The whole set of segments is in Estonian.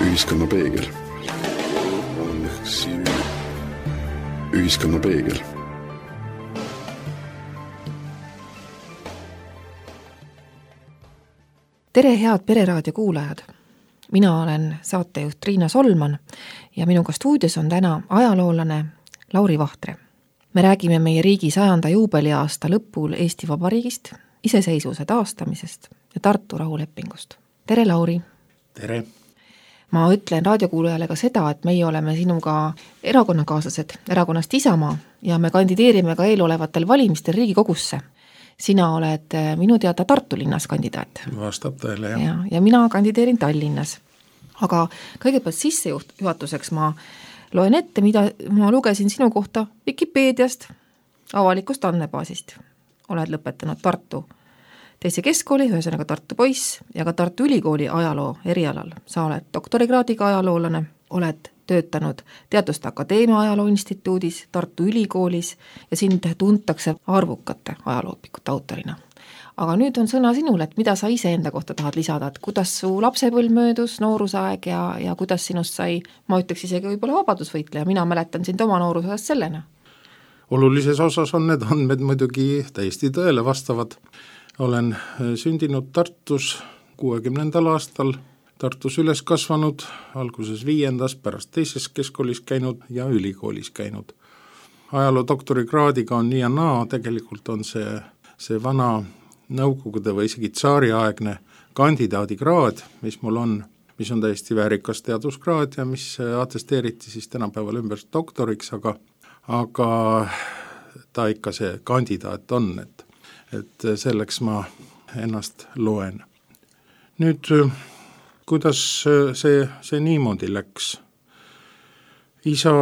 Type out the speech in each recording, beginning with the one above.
Ühiskonna peegel. Ühiskonna peegel. Tere, head Pereraadio kuulajad! Mina olen saatejuht Riina Solman ja minuga stuudios on täna ajaloolane Lauri Vahtre. Me räägime meie riigi 100. juubeliaasta lõpul Eesti Vabariigist, iseseisvuse taastamisest ja Tartu rahulepingust. Tere, Lauri! Tere! Ma ütlen raadiokuulajale ka seda, et meie oleme sinuga erakonnakaaslased erakonnast Isamaa ja me kandideerime ka eelolevatel valimistel Riigikogusse. Sina oled minu teada Tartu linnas kandidaat. Vastab tõele, jah. Ja mina kandideerin Tallinnas. Aga kõigepealt sissejuhatuseks ma loen ette, mida ma lugesin sinu kohta Wikipeediast, avalikust andmebaasist. Oled lõpetanud Tartu teise keskkooli, ühesõnaga Tartu poiss ja ka Tartu Ülikooli ajaloo erialal. Sa oled doktorikraadiga ajaloolane, oled töötanud Teaduste Akadeemia Ajaloo Instituudis, Tartu Ülikoolis ja sind tuntakse arvukate ajalooõpikute autorina. Aga nüüd on sõna sinule, et mida sa ise enda kohta tahad lisada, et kuidas su lapsepõlv möödus, noorusaeg ja kuidas sinust sai, ma ütleks isegi võib-olla vabadusvõitleja, mina mäletan sind oma noorusajast sellena. Olulises osas on need andmed muidugi täiesti tõele vastavad. Olen sündinud Tartus 60. aastal, Tartus üles kasvanud, alguses 5., pärast teises keskkoolis käinud ja ülikoolis käinud. Ajaloo doktorikraadiga on nii ja naa, tegelikult on see vana nõukogude või isegi tsaariaegne kandidaadikraad, mis mul on, mis on täiesti väärikas teaduskraad ja mis atesteeriti siis tänapäeval ümber doktoriks, aga ta ikka see kandidaat on, et selleks ma ennast loen. Nüüd, kuidas see niimoodi läks? Isa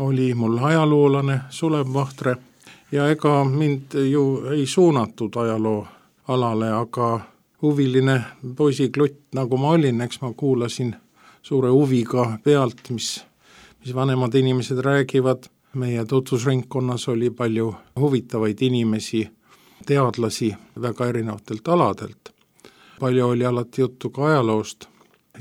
oli mul ajaloolane, Sulev Vahtre, ja ega mind ju ei suunatud ajaloo alale, aga huviline poisiklutt, nagu ma olin, eks ma kuulasin suure huviga pealt, mis vanemad inimesed räägivad. Meie tutvusringkonnas oli palju huvitavaid inimesi, teadlasi väga erinevatelt aladelt. Palju oli alati juttu ka ajaloost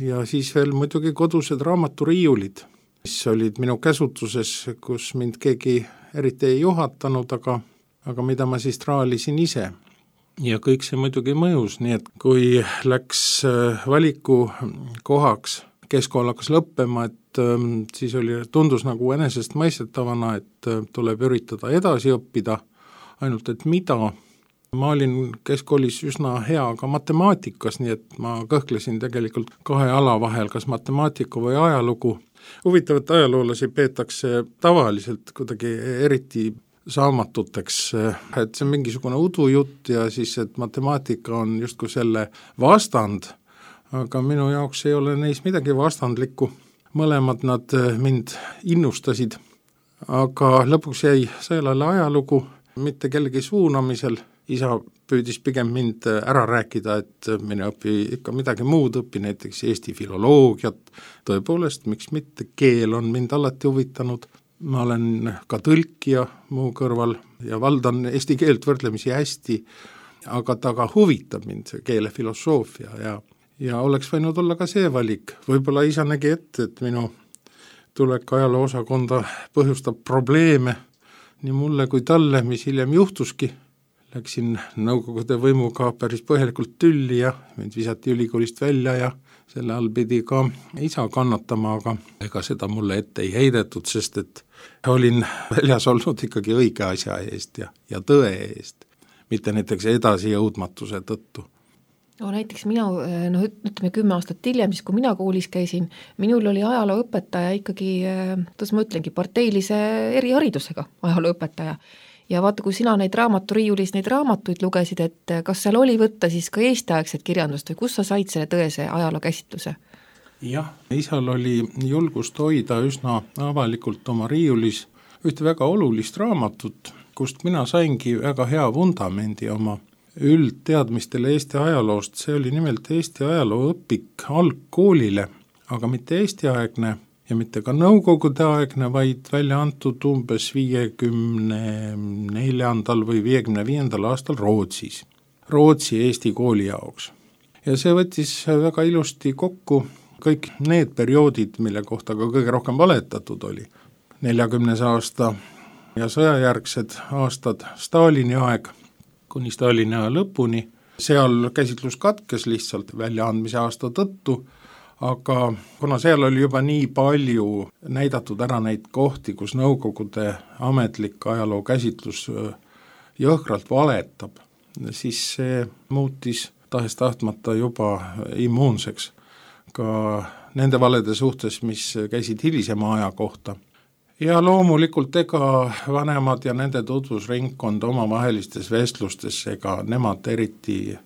ja siis veel muidugi kodused raamaturiiulid, mis olid minu käsutuses, kus mind keegi eriti ei juhatanud, aga mida ma siis traalisin ise. Ja kõik see muidugi mõjus, nii et kui läks valiku kohaks, keskkool hakkas lõppema, et siis tundus nagu enesest mõistetavana, et tuleb üritada edasi õppida, ainult et mida. Ma olin keskkoolis üsna hea ka matemaatikas, nii et ma kõhklesin tegelikult 2 ala vahel, kas matemaatika või ajalugu. Huvitavat ajaloolasi peetakse tavaliselt kuidagi eriti saamatuteks, et see on mingisugune udujutt ja siis, et matemaatika on justkui selle vastand, aga minu jaoks ei ole neis midagi vastandlikku. Mõlemad nad mind innustasid, aga lõpuks jäi sõelale ajalugu, mitte kellegi suunamisel. Isa püüdis pigem mind ära rääkida, et mine õpi ikka midagi muud, õpi näiteks Eesti filoloogiat. Tõepoolest, miks mitte, keel on mind alati huvitanud. Ma olen ka tõlkija muu kõrval ja valdan eesti keelt võrdlemisi hästi, aga ta ka huvitab mind, see keelefilosoofia ja oleks võinud olla ka see valik. Võib-olla isa nägi ette, et minu tulek ajaloo osakonda põhjustab probleeme nii mulle kui talle, mis hiljem juhtuski. Läksin nõukogude võimuga päris põhjalikult tülli ja mind visati ülikoolist välja ja selle all pidi ka isa kannatama, aga ega seda mulle ette ei heidetud, sest et olin väljas olnud ikkagi õige asja eest ja tõe eest, mitte näiteks edasi jõudmatuse tõttu. No näiteks mina, ütleme 10 aastat hiljem, siis kui mina koolis käisin, minul oli ajalooõpetaja ikkagi, ma ütlengi, parteilise eriharidusega ajalooõpetaja. Ja vaata, kui sina neid raamaturiiulis neid raamatuid lugesid, et kas seal oli võtta siis ka Eesti-aegset kirjandust või kus sa said selle tõese ajaloo käsitluse? Jah, isal oli julgust hoida üsna avalikult oma riiulis ühte väga olulist raamatut, kust mina saingi väga hea vundamendi oma üldteadmistele Eesti ajaloost. See oli nimelt Eesti ajalooõpik algkoolile, aga mitte Eesti-aegne ja mitte ka nõukogude aegne, vaid välja antud umbes 54. või 55. aastal Rootsi Eesti kooli jaoks. Ja see võttis väga ilusti kokku kõik need perioodid, mille kohta ka kõige rohkem valetatud oli, 40. aasta ja sõjajärgsed aastad, Stalini aeg kuni Stalini aja lõpuni, seal käsitlus katkes lihtsalt väljaandmise aasta tõttu, aga kuna seal oli juba nii palju näidatud ära neid kohti, kus Nõukogude ametlik ajaloo käsitlus jõhkralt valetab, siis see muutis tahes-tahtmata juba immuunseks ka nende valede suhtes, mis käisid hilisema aja kohta. Ja loomulikult ega vanemad ja nende tutvusringkond omavahelistes vestlustes, ega nemad eriti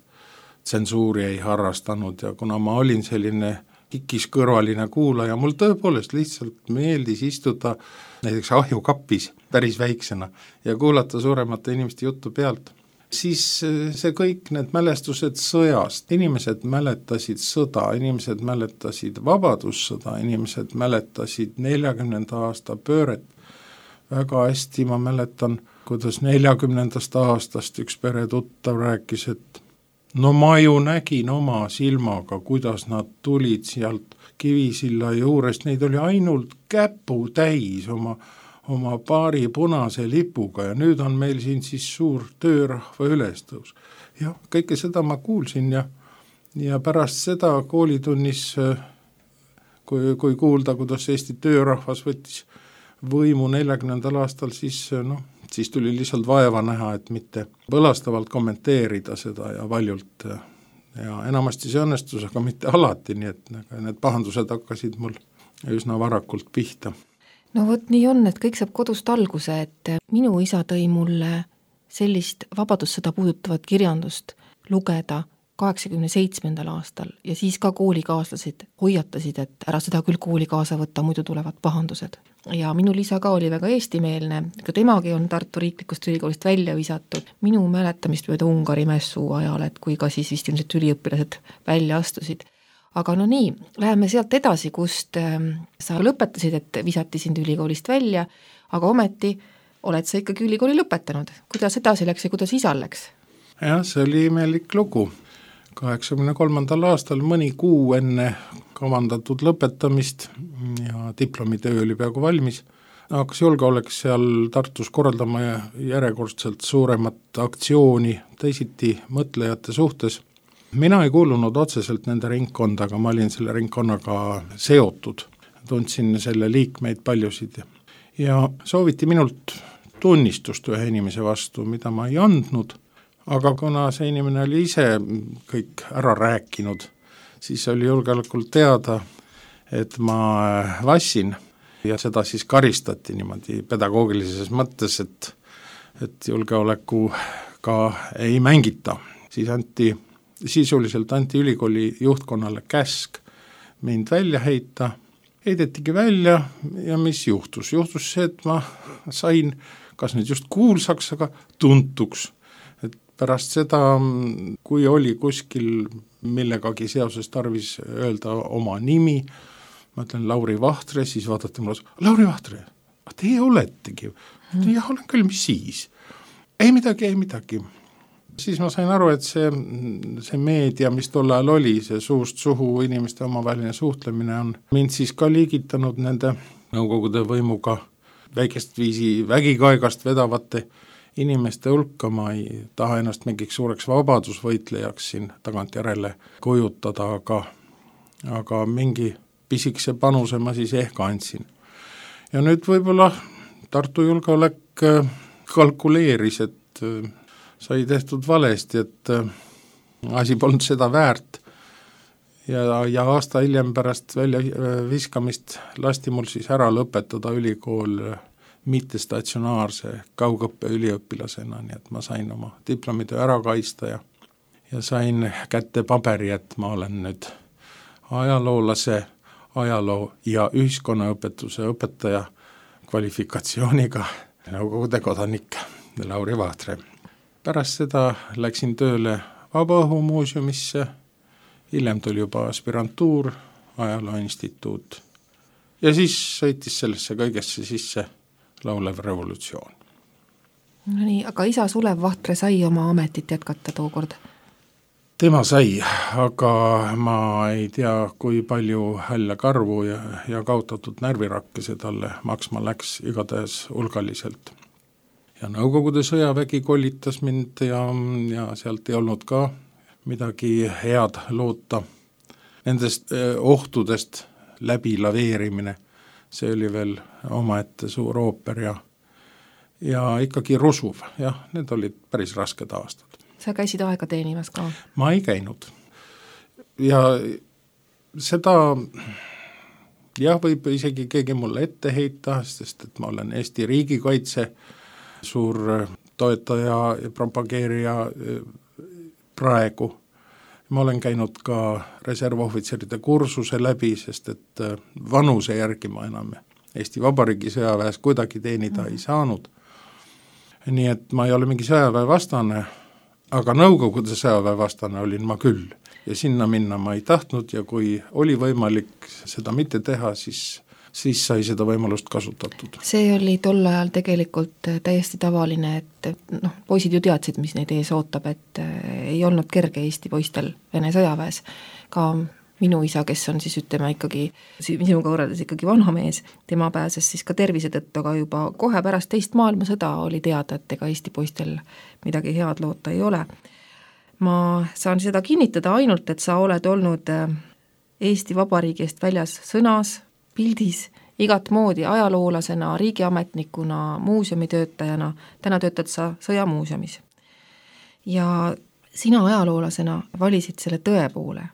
tsensuuri ei harrastanud ja kuna ma olin selline kikiskõrvaline kuulaja, mul tõepoolest lihtsalt meeldis istuda näiteks ahjukapis päris väiksena ja kuulata suuremate inimeste juttu pealt, siis see kõik need mälestused sõjast, inimesed mäletasid sõda, inimesed mäletasid vabadussõda, inimesed mäletasid 40. aasta pööret. Väga hästi ma mäletan, kuidas 40. aastast üks peretuttav rääkis, et no ma ju nägin oma silmaga, kuidas nad tulid sealt Kivisilla juurest, neid oli ainult käpu täis oma paari punase lipuga ja nüüd on meil siin siis suur töörahva ülestõus. Ja kõike seda ma kuulsin ja pärast seda koolitunnis, kui kuulda, kuidas Eesti töörahvas võttis võimu 40. aastal, siis tuli lihtsalt vaeva näha, et mitte põlastavalt kommenteerida seda ja valjult. Ja enamasti see õnnestus, aga mitte alati, nii et need pahandused hakkasid mul üsna varakult pihta. No vot nii on, et kõik saab kodust alguse, et minu isa tõi mulle sellist vabadussõda puudutavat kirjandust lugeda 87. aastal ja siis ka koolikaaslased hoiatasid, et ära seda küll kooli kaasa võtta, muidu tulevad pahandused. Ja minul isa ka oli väga eestimeelne, ka temagi on Tartu Riiklikust Ülikoolist välja visatud. Minu mäletamist mööda Ungari mässu ajal, et kui ka siis vist ilmselt üliõpilased välja astusid. Aga no nii, läheme sealt edasi, kust sa lõpetasid, et visati sind ülikoolist välja, aga ometi oled sa ikkagi ülikooli lõpetanud. Kuidas edasi läks ja kuidas isal läks? Jah, see oli imelik lugu. 83. aastal mõni kuu enne kavandatud lõpetamist ja diplomitöö oli peaaegu valmis, hakkas julgeolek seal Tartus korraldama järjekordselt suuremat aktsiooni teisiti mõtlejate suhtes. Mina ei kuulunud otseselt nende ringkonda, aga ma olin selle ringkonnaga seotud. Tundsin selle liikmeid paljusid ja sooviti minult tunnistust ühe inimese vastu, mida ma ei andnud, aga kuna see inimene oli ise kõik ära rääkinud, siis oli julgeolekul teada, et ma vassin ja seda siis karistati niimoodi pedagoogilises mõttes, et julgeolekuga ei mängita. Siis sisuliselt anti ülikooli juhtkonnale käsk mind välja heita, heidetigi välja ja mis juhtus? Juhtus see, et ma sain, kas nüüd just kuulsaks, aga tuntuks. Et pärast seda, kui oli kuskil millegagi seoses tarvis öelda oma nimi, ma ütlen Lauri Vahtre, siis vaadati mulle, Lauri Vahtre, teie oletegi? Jah, olen küll, mis siis? Ei midagi. Siis ma sain aru, et see meedia, mis tol ajal oli, see suust suhu inimeste omavaheline suhtlemine on mind siis ka liigitanud nende Nõukogude võimuga väikest viisi vägikaigast vedavate inimeste hulka. Ma ei taha ennast mingiks suureks vabadusvõitlejaks siin tagantjärele kujutada, aga mingi pisikese panuse ma siis ehk andsin. Ja nüüd võib-olla Tartu julgeolek kalkuleeris, et sai tehtud valesti, et asi polnud seda väärt ja aasta hiljem pärast välja viskamist lasti mul siis ära lõpetada ülikool mittestatsionaarse kaugõppe üliõpilasena, nii et ma sain oma diplomitöö ära kaista ja sain kätte paberi, et ma olen nüüd ajaloolase, ajaloo ja ühiskonnaõpetuse õpetaja kvalifikatsiooniga Nõukogude kodanik Lauri Vahtre. Pärast seda läksin tööle Vabaõhumuuseumisse, hiljem tuli juba aspirantuur, ajalooinstituut ja siis sõitis sellesse kõigesse sisse laulev revolutsioon. No nii, aga isa Sulev Vahtre sai oma ametit jätkata tookord? Tema sai, aga ma ei tea, kui palju hälle karvu ja kaotatud närvirakke see talle maksma läks, igatahes hulgaliselt. Ja Nõukogude sõjavägi kollitas mind ja sealt ei olnud ka midagi head loota. Nendest ohtudest läbi laveerimine, see oli veel omaette suur ooper ja ikkagi rusuv, jah, need olid päris rasked aastad. Sa käisid aega teenimas ka? Ma ei käinud. Ja seda, jah, võib isegi keegi mulle ette heita, sest et ma olen Eesti riigikaitse suur toetaja ja propageerija praegu. Ma olen käinud ka reservohvitseride kursuse läbi, sest et vanuse järgi ma enam Eesti Vabariigi sõjaväes kuidagi teenida ei saanud. Nii et ma ei ole mingi sõjaväe vastane, aga Nõukogude sõjaväe vastane olin ma küll. Ja sinna minna ma ei tahtnud ja kui oli võimalik seda mitte teha, siis sai seda võimalust kasutatud. See oli tol ajal tegelikult täiesti tavaline, et poisid ju teadsid, mis neid ees ootab, et ei olnud kerge Eesti poistel Vene sõjaväes. Ka minu isa, kes on siis ikkagi, minuga võrreldes ikkagi vanha mees, tema pääses siis ka tervise tõttu, aga juba kohe pärast teist maailmasõda oli teada, et ega Eesti poistel midagi head loota ei ole. Ma saan seda kinnitada ainult, et sa oled olnud Eesti Vabariigi eest väljas sõnas, pildis, igat moodi ajaloolasena, riigiametnikuna, muuseumitöötajana, täna töötad sa sõjamuuseumis. Ja sina ajaloolasena valisid selle tõe poole.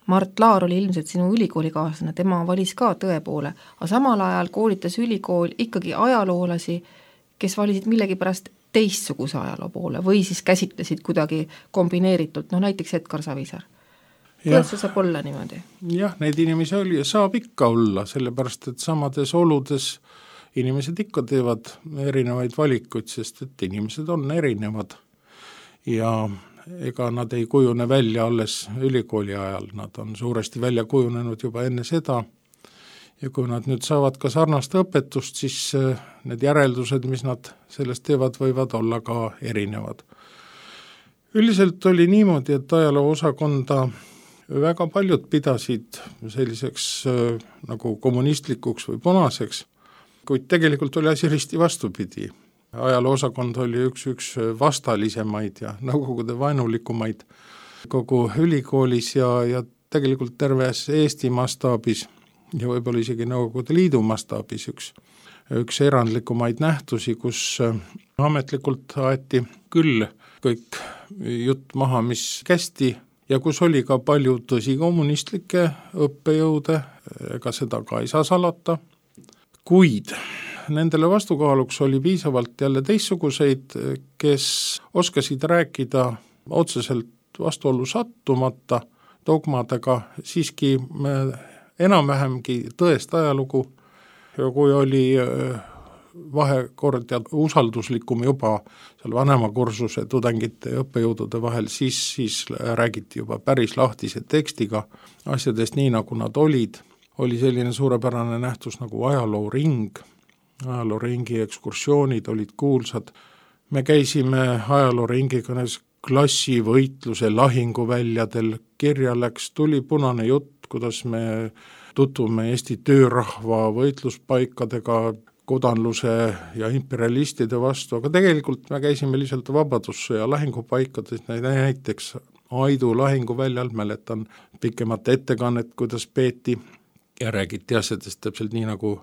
Mart Laar oli ilmselt sinu ülikoolikaaslane, tema valis ka tõe poole, aga samal ajal koolitas ülikool ikkagi ajaloolasi, kes valisid millegipärast teistsuguse ajaloo poole või siis käsitlesid kuidagi kombineeritult, näiteks Edgar Savisaar. Kuidas see saab olla niimoodi? Jah, neid inimesi oli ja saab ikka olla, sellepärast et samades oludes inimesed ikka teevad erinevaid valikuid, sest et inimesed on erinevad ja ega nad ei kujune välja alles ülikooli ajal, nad on suuresti välja kujunenud juba enne seda ja kui nad nüüd saavad ka sarnast õpetust, siis need järeldused, mis nad sellest teevad, võivad olla ka erinevad. Üldiselt oli niimoodi, et ajaloo osakonda väga paljud pidasid selliseks nagu kommunistlikuks või punaseks, kuid tegelikult oli asi risti vastupidi. Ajaloo osakond oli üks vastalisemaid ja Nõukogude vaenulikumaid kogu ülikoolis ja tegelikult terves Eesti mastaabis ja võib-olla isegi Nõukogude Liidu mastaabis üks erandlikumaid nähtusi, kus ametlikult aeti küll kõik jutt maha, mis kästi ja kus oli ka palju tõsikommunistlikke õppejõude, ega seda ka ei saa salata, kuid nendele vastukaaluks oli piisavalt jälle teistsuguseid, kes oskasid rääkida otseselt vastuollu sattumata dogmadega, siiski enam-vähemgi tõest ajalugu ja kui oli vahekord ja usalduslikum juba seal vanema kursuse tudengite ja õppejõudude vahel, siis räägiti juba päris lahtise tekstiga asjadest nii, nagu nad olid. Oli selline suurepärane nähtus nagu ajalooring, ajalooringi ekskursioonid olid kuulsad. Me käisime ajalooringiga klassivõitluse lahinguväljadel, kirja läks, tuli punane jutt, kuidas me tutvume Eesti töörahva võitluspaikadega, kodanluse ja imperialistide vastu, aga tegelikult me käisime lihtsalt vabadussõja lahingupaikades, näiteks Aidu lahinguväljal, mäletan pikemat ettekannet, kuidas peeti ja räägiti asjadest täpselt nii, nagu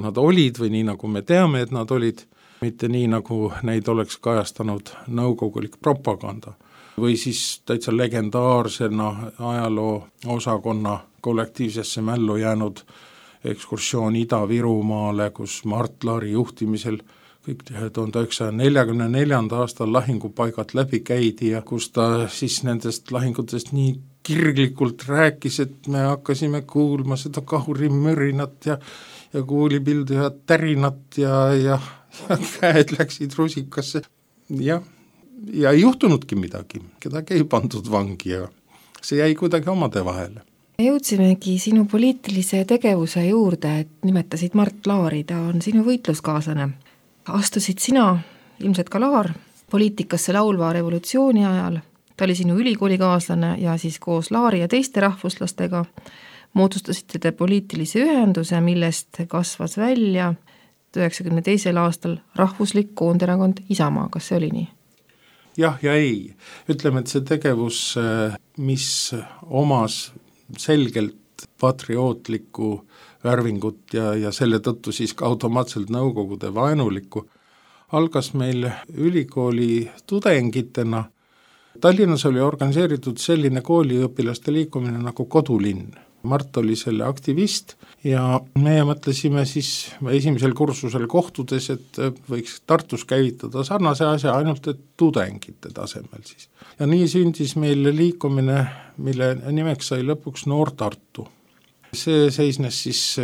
nad olid või nii, nagu me teame, et nad olid, mitte nii, nagu neid oleks kajastanud nõukogulik propaganda. Või siis täitsa legendaarsena ajaloo osakonna kollektiivsesse mällu jäänud ekskursioon Ida-Virumaale, kus Mart Laari juhtimisel kõik 1944. aastal lahingupaigad läbi käidi ja kus ta siis nendest lahingutest nii kirglikult rääkis, et me hakkasime kuulma seda kahurimörinat ja kuulipildu ja tärinat ja käed läksid rusikasse. Ja ei juhtunudki midagi, kedagi ei pandud vangi ja see jäi kuidagi omade vahele. Jõudsimegi sinu poliitilise tegevuse juurde, et nimetasid Mart Laari, ta on sinu võitluskaaslane. Astusid sina, ilmselt ka Laar, poliitikasse laulva revolutsiooni ajal. ta oli sinu ülikoolikaaslane ja siis koos Laari ja teiste rahvuslastega moodustasite te poliitilise ühenduse, millest kasvas välja 1992. aastal rahvuslik koonderakond Isamaa, kas see oli nii? Jah ja ei. Ütleme, et see tegevus, mis omas selgelt patriootlikku värvingut ja selle tõttu siis ka automaatselt Nõukogude vaenulikku, algas meil ülikooli tudengitena. Tallinnas oli organiseeritud selline kooliõpilaste liikumine nagu Kodulinn. Mart oli selle aktivist ja meie mõtlesime siis esimesel kursusel kohtudes, et võiks Tartus käivitada sarnase asja, ainult et tudengite tasemel siis. Ja nii sündis meil liikumine, mille nimeks sai lõpuks Noor Tartu. See seisnes siis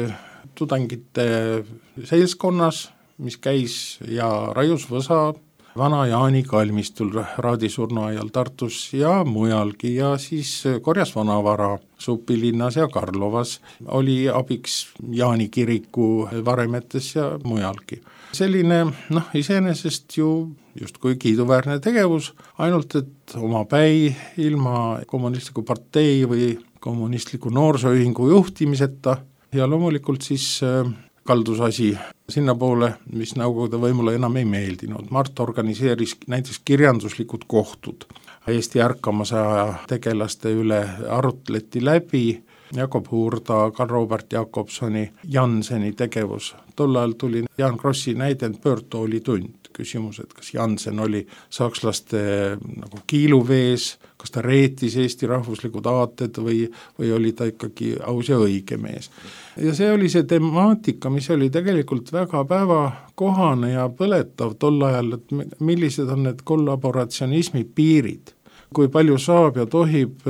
tudengite seltskonnas, mis käis ja raius võsa vana Jaani kalmistul raadisurnu ajal Tartus ja mujalgi ja siis korjas vanavara Supilinnas ja Karlovas, oli abiks Jaani kiriku varemetes ja mujalgi. Selline, iseenesest ju justkui kiiduväärne tegevus, ainult et omapäi ilma kommunistliku partei või kommunistliku noorsooühingu juhtimiseta ja loomulikult siis kaldus asi sinna poole, mis Nõukogude võimule enam ei meeldinud. Mart organiseeris näiteks kirjanduslikud kohtud. Eesti ärkamasaja tegelaste üle arutleti läbi Jakob Hurda, Karl-Robert Jakobsoni, Janseni tegevus. Tol ajal tuli Jaan Krossi näidend pöördtoolitund. Küsimus, et kas Jansen oli sakslaste nagu kiiluvees, kas ta reetis Eesti rahvuslikud aated või oli ta ikkagi aus ja õige mees. Ja see oli see temaatika, mis oli tegelikult väga päevakohane ja põletav tol ajal, et millised on need kollaboratsionismi piirid, kui palju saab ja tohib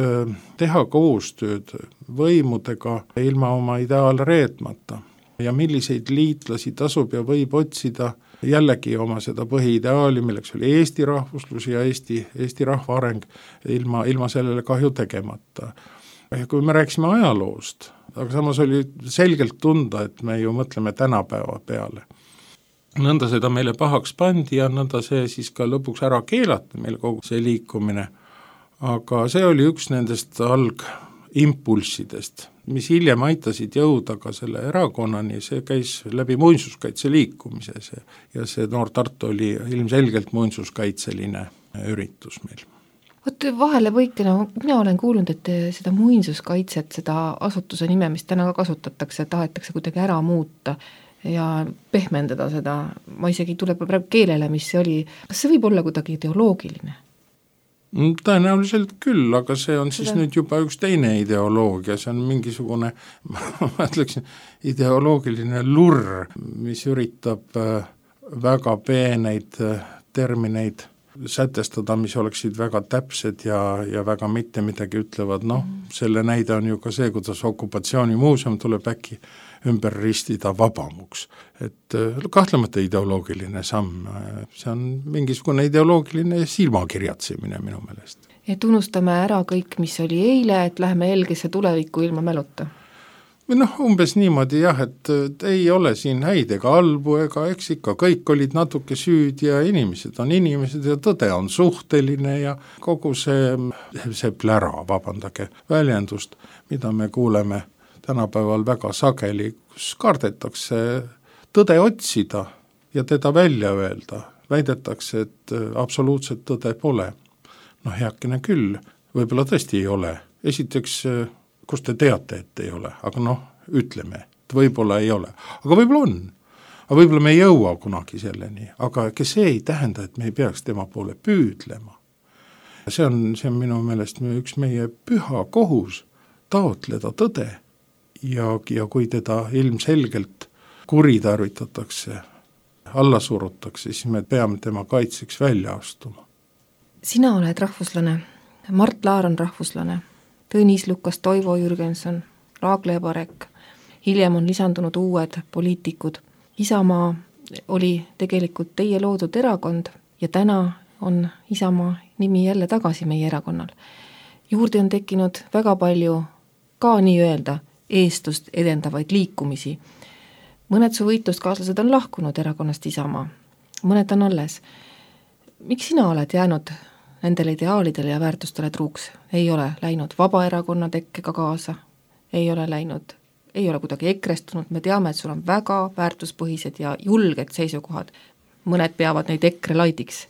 teha koostööd võimudega ilma oma ideaal reetmata ja milliseid liitlasi tasub ja võib otsida jällegi oma seda põhiideaali, milleks oli Eesti rahvuslus ja Eesti rahva areng ilma sellele kahju tegemata. Ja kui me rääkisime ajaloost, aga samas oli selgelt tunda, et me ju mõtleme tänapäeva peale. Nõnda seda meile pahaks pandi ja nõnda see siis ka lõpuks ära keelati meil kogu see liikumine. Aga see oli üks nendest algimpulssidest, mis hiljem aitasid jõuda ka selle erakonnani, see käis läbi muinsuskaitse liikumise ja see Noor Tartu oli ilmselgelt muinsuskaitseline üritus meil. Vot vahele võikena, mina olen kuulnud, et seda muinsuskaitset, seda asutuse nime, mis täna ka kasutatakse, tahetakse kuidagi ära muuta ja pehmendada seda, ma isegi tuleb praegu keelele, mis see oli, kas see võib olla kuidagi ideoloogiline? Tõenäoliselt küll, aga see on siis nüüd juba üks teine ideoloogia, see on mingisugune, ma ütleksin, ideoloogiline lurr, mis üritab väga peeneid termineid sätestada, mis oleksid väga täpsed ja väga mitte midagi ütlevad. Selle näide on ju ka see, kuidas okupatsioonimuuseum tuleb äkki ümber ristida vabamuks. Et kahtlemata ideoloogiline samm, see on mingisugune ideoloogiline silmakirjatsemine minu meelest. Et unustame ära kõik, mis oli eile, et läheme helgesse tulevikku ilma mäluta. Umbes niimoodi jah, et ei ole siin häid ega halbu ega eks ikka, kõik olid natuke süüd ja inimesed on inimesed ja tõde on suhteline ja kogu see plära, vabandage väljendust, mida me kuuleme tänapäeval väga sageli, kus kardetakse tõde otsida ja teda välja öelda. Väidetakse, et absoluutset tõde pole. Heakene küll, võib-olla tõesti ei ole. Esiteks, kus te teate, et ei ole, aga ütleme, et võib-olla ei ole. Aga võib-olla on. Aga võib-olla me ei jõua kunagi selleni, aga see ei tähenda, et me ei peaks tema poole püüdlema. See on minu meelest üks meie püha kohus taotleda tõde. Ja kui teda ilmselgelt kuritarvitatakse, alla surutakse, siis me peame tema kaitseks välja astuma. Sina oled rahvuslane, Mart Laar on rahvuslane, Tõnis Lukas, Toivo Jürgenson, Raagle Parek, hiljem on lisandunud uued poliitikud. Isamaa oli tegelikult teie loodud erakond ja täna on Isamaa nimi jälle tagasi meie erakonnal. Juurde on tekkinud väga palju ka nii-öelda eestlust edendavaid liikumisi. Mõned su võitluskaaslased on lahkunud erakonnast Isamaa, mõned on alles. Miks sina oled jäänud nendele ideaalidele ja väärtustele truuks, ei ole läinud Vabaerakonna tekkega kaasa, ei ole kuidagi ekrestunud, me teame, et sul on väga väärtuspõhised ja julged seisukohad, mõned peavad neid EKRE laidiks.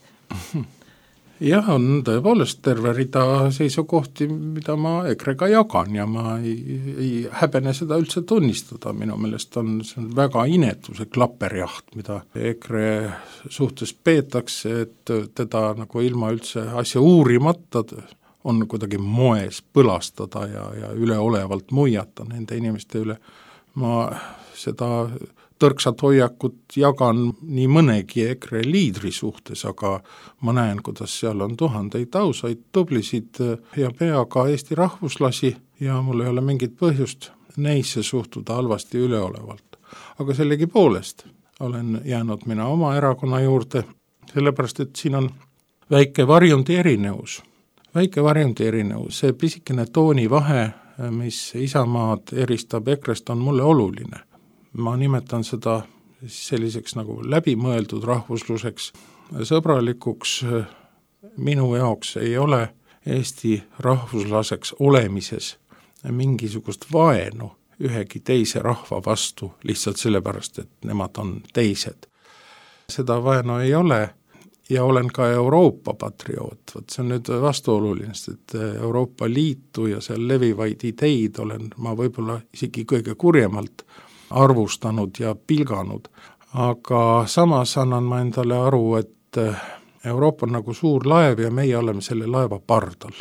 Jah, on tõepoolest terve rida seisukohti, mida ma EKRE-ga jagan ja ma ei häbene seda üldse tunnistada, minu meelest see on väga inetu see klapperjaht, mida EKRE suhtes peetakse, et teda nagu ilma üldse asja uurimata on kuidagi moes põlastada ja üleolevalt muiata nende inimeste üle. Ma seda tõrksat hoiakut jagan nii mõnegi EKRE liidri suhtes, aga ma näen, kuidas seal on tuhandeid ausaid, tublisid ja peaga Eesti rahvuslasi ja mul ei ole mingit põhjust neisse suhtuda halvasti üleolevalt. Aga sellegipoolest olen jäänud mina oma erakonna juurde, sellepärast et siin on väike varjundi erinevus. See pisikene toonivahe, mis Isamaad eristab EKRE-st, on mulle oluline. Ma nimetan seda selliseks nagu läbimõeldud rahvusluseks, sõbralikuks. Minu jaoks ei ole Eesti rahvuslaseks olemises mingisugust vaenu ühegi teise rahva vastu, lihtsalt sellepärast, et nemad on teised. Seda vaenu ei ole ja olen ka Euroopa patrioot. See on nüüd vastuoluline, et Euroopa Liitu ja seal levivaid ideid olen ma võib-olla isegi kõige kurjemalt arvustanud ja pilganud, aga samas annan ma endale aru, et Euroopa on nagu suur laev ja meie oleme selle laeva pardal.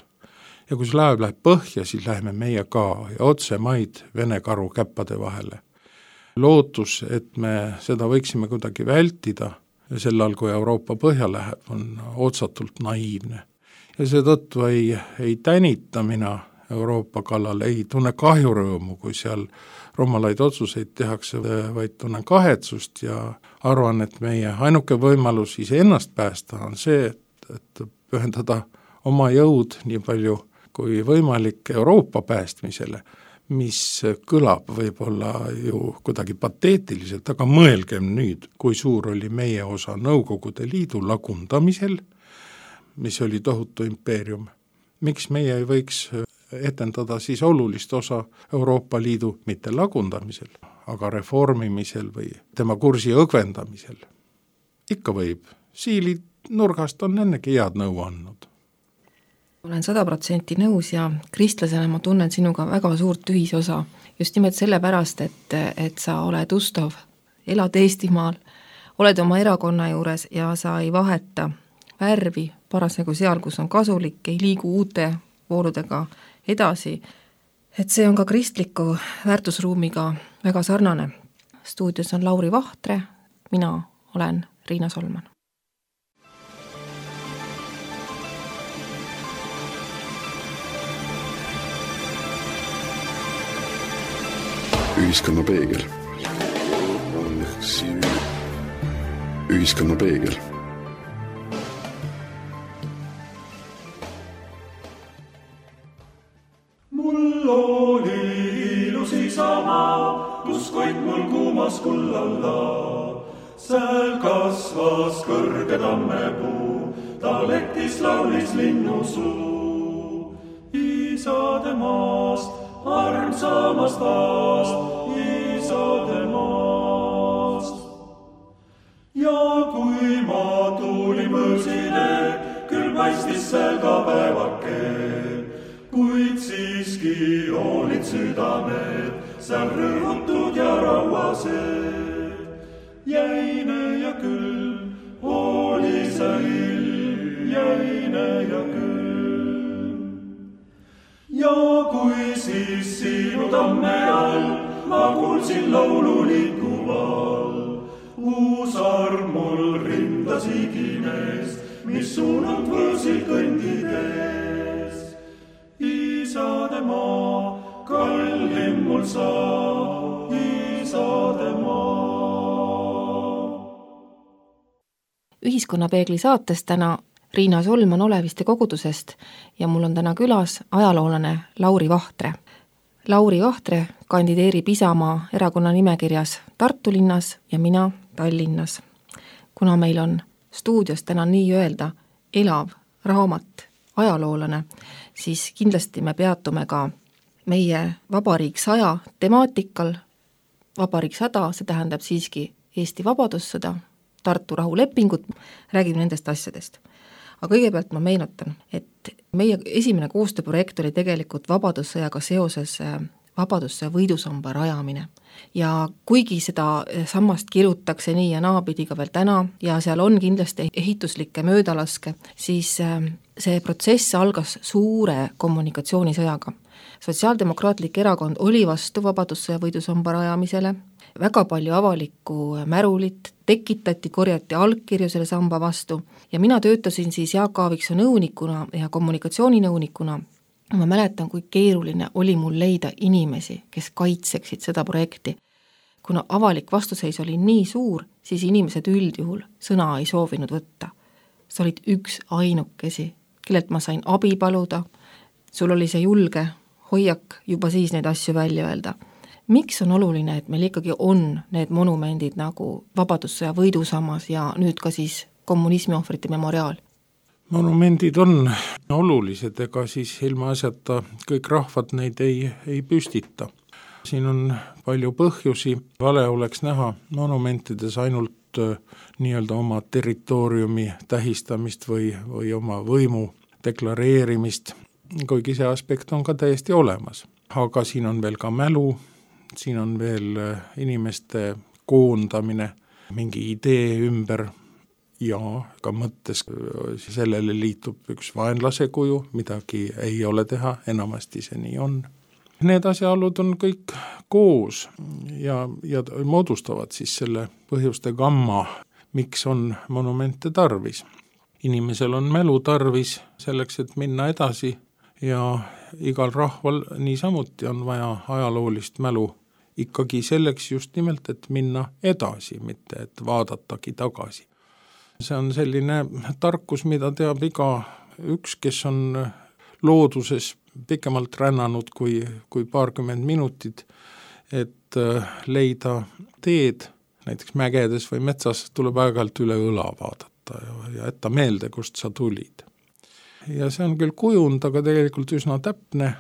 Ja kui see laev läheb põhja, siis läheme meie ka ja otse maid Vene karu käppade vahele. Lootus, et me seda võiksime kuidagi vältida sellal, kui Euroopa põhja läheb, on otsatult naiivne. Ja seetõttu ei tänita mina Euroopa kallal, ei tunne kahjurõõmu, kui seal rumalaid otsuseid tehakse, vaid tunnen kahetsust ja arvan, et meie ainuke võimalus iseennast päästa on see, et pühendada oma jõud nii palju kui võimalik Euroopa päästmisele, mis kõlab võib-olla ju kuidagi pateetiliselt, aga mõelgem nüüd, kui suur oli meie osa Nõukogude Liidu lagundamisel, mis oli tohutu impeerium. Miks meie ei võiks etendada siis olulist osa Euroopa Liidu mitte lagundamisel, aga reformimisel või tema kursi õgvendamisel? Ikka võib. Siili nurgast on ennegi head nõu andnud. Olen 100% nõus ja kristlasena ma tunnen sinuga väga suurt ühisosa. Just nimelt sellepärast, et sa oled ustav, elad Eestimaal, oled oma erakonna juures ja sa ei vaheta värvi parasjagu seal, kus on kasulik, ei liigu uute vooludega edasi, et see on ka kristliku väärtusruumiga väga sarnane. Stuudios on Lauri Vahtre, mina olen Riina Solman. Ühiskonna peegel. Ühiskonna peegel. Mul oli ilus Isamaa, kus koit mul kuumas kullalla. Sääl kasvas kõrge tammepuu, ta lektis laulis linnusuu. Isade maast, armsamast aast, Isade maast. Ja kui ma tulin võõsile, küll paistis seal ka päevakeel, kuid siiski olid südamed, seal rõhutud ja rauased. Jäine ja külm, oli see ilm, jäine ja külm. Ja kui siis sinu tamme all ma kuulsin laulu liikuval, uus arm mul rindas igines, mis suunalt võõsil kõndides. Isade maa, kallim mul saa, Isade maa. Ühiskonnapeegli saates täna Riina Solman Oleviste kogudusest ja mul on täna külas ajaloolane Lauri Vahtre. Lauri Vahtre kandideerib Isamaa erakonna nimekirjas Tartu linnas ja mina Tallinnas. Kuna meil on stuudios täna nii öelda elav raamat, ajaloolane, siis kindlasti me peatume ka meie Vabariik 100 temaatikal. Vabariik 100, see tähendab siiski Eesti vabadussõda, Tartu rahulepingut, räägime nendest asjadest. Aga kõigepealt ma meenutan, et meie esimene koostööprojekt oli tegelikult vabadussõjaga seoses vabadussõja võidusamba rajamine. Ja kuigi seda sammast kirutakse nii ja naapidi ka veel täna ja seal on kindlasti ehituslikke möödalaske, siis see protsess algas suure kommunikatsioonisõjaga. Sotsiaaldemokraatlik erakond oli vastu vabadussõja võidusamba rajamisele, väga palju avalikku märulit tekitati, korjati allkirju selle samba vastu ja mina töötasin siis Jaak Aaviksoo nõunikuna ja kommunikatsiooninõunikuna. Ma mäletan, kui keeruline oli mul leida inimesi, kes kaitseksid seda projekti. Kuna avalik vastuseis oli nii suur, siis inimesed üldjuhul sõna ei soovinud võtta. Sa olid üks ainukesi, kellelt ma sain abi paluda, sul oli see julge hoiak juba siis neid asju välja öelda. Miks on oluline, et meil ikkagi on need monumendid nagu vabadussõja võidusammas ja nüüd ka siis kommunismi ohvrite memoriaal? Monumendid on olulised, ega siis ilma asjata kõik rahvad neid ei püstita. Siin on palju põhjusi, vale oleks näha monumentides ainult nii-öelda oma territooriumi tähistamist või oma võimu deklareerimist, kuigi see aspekt on ka täiesti olemas. Aga siin on veel ka mälu, siin on veel inimeste koondamine mingi idee ümber ja ka mõttes sellele liitub üks vaenlase kuju, midagi ei ole teha, enamasti see nii on. Need asjaolud on kõik koos ja moodustavad siis selle põhjuste gamma, miks on monumente tarvis. Inimesel on mälu tarvis selleks, et minna edasi ja igal rahval niisamuti on vaja ajaloolist mälu ikkagi selleks just nimelt, et minna edasi, mitte et vaadatagi tagasi. See on selline tarkus, mida teab iga üks, kes on looduses pikemalt rännanud kui paarkümmend minutit, et leida teed, näiteks mägedes või metsas tuleb aeg-ajalt üle õla vaadata ja jätta meelde, kust sa tulid. Ja see on küll kujund, aga tegelikult üsna täpne,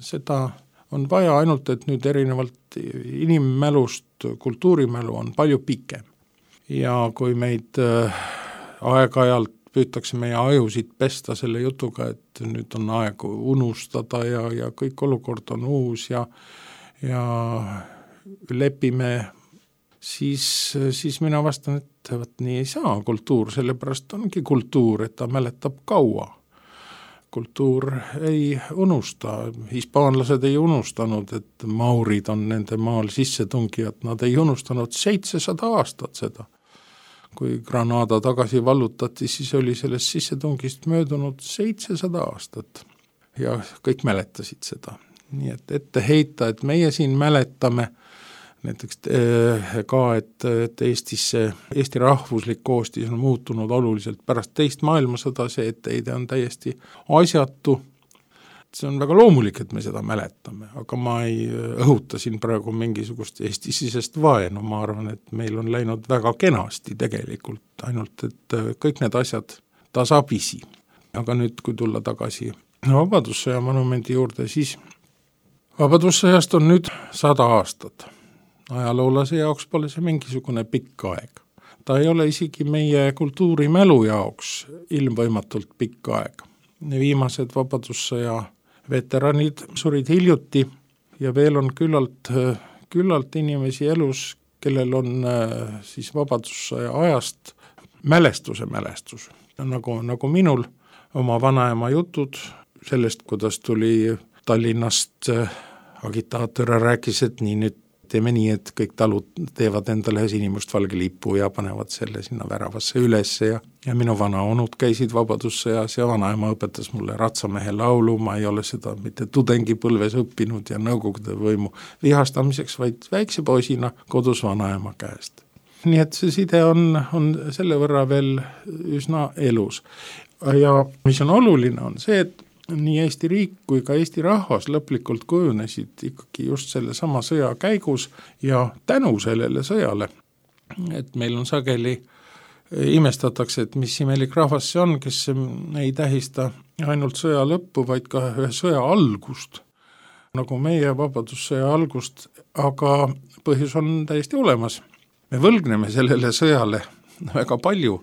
seda on vaja ainult, et nüüd erinevalt inimmälust kultuurimälu on palju pikem. Ja kui meid aeg-ajalt püütakse meie ajusid pesta selle jutuga, et nüüd on aeg unustada ja kõik olukord on uus ja lepime, siis mina vastan, et võt, nii ei saa kultuur, sellepärast ongi kultuur, et ta mäletab kaua. Kultuur ei unusta, hispaanlased ei unustanud, et maurid on nende maal sissetungijad, nad ei unustanud 700 aastat seda. Kui Granada tagasi vallutati, siis oli sellest sissetungist möödunud 700 aastat ja kõik mäletasid seda. Nii et ette heita, et meie siin mäletame näiteks ka, et Eesti rahvuslik koostis on muutunud oluliselt pärast teist maailmasõda, see etteheide on täiesti asjatu. See on väga loomulik, et me seda mäletame, aga ma ei õhuta siin praegu mingisugust Eesti-sisest vaenu, ma arvan, et meil on läinud väga kenasti tegelikult, ainult et kõik need asjad tasapisi. Aga nüüd, kui tulla tagasi vabadussõja monumendi juurde, siis vabadussõjast on nüüd 100 aastat. Ajaloolase jaoks pole see mingisugune pikk aeg. Ta ei ole isegi meie kultuurimälu jaoks ilmvõimatult pikk aeg. Viimased vabadussõja veteranid surid hiljuti ja veel on küllalt inimesi elus, kellel on siis vabadussõja ajast mälestus. Nagu minul oma vanaema jutud sellest, kuidas tuli Tallinnast agitaator rääkis, et nii nüüd teeme nii, et kõik talud teevad endale sinimustvalge lipu ja panevad selle sinna väravasse üles ja minu vanaonud käisid vabadussõjas ja vanaema õpetas mulle ratsamehe laulu, ma ei ole seda mitte tudengipõlves õppinud ja nõukogude võimu vihastamiseks, vaid väikse poisina kodus vanaema käest. Nii et see side on selle võrra veel üsna elus. Ja mis on oluline, on see, et nii Eesti riik kui ka Eesti rahvas lõplikult kujunesid ikkagi just selle sama sõja käigus ja tänu sellele sõjale, et meil on sageli imestatakse, et mis imelik rahvas see on, kes ei tähista ainult sõja lõppu, vaid ka ühe sõja algust, nagu meie vabadussõja algust, aga põhjus on täiesti olemas. Me võlgneme sellele sõjale väga palju.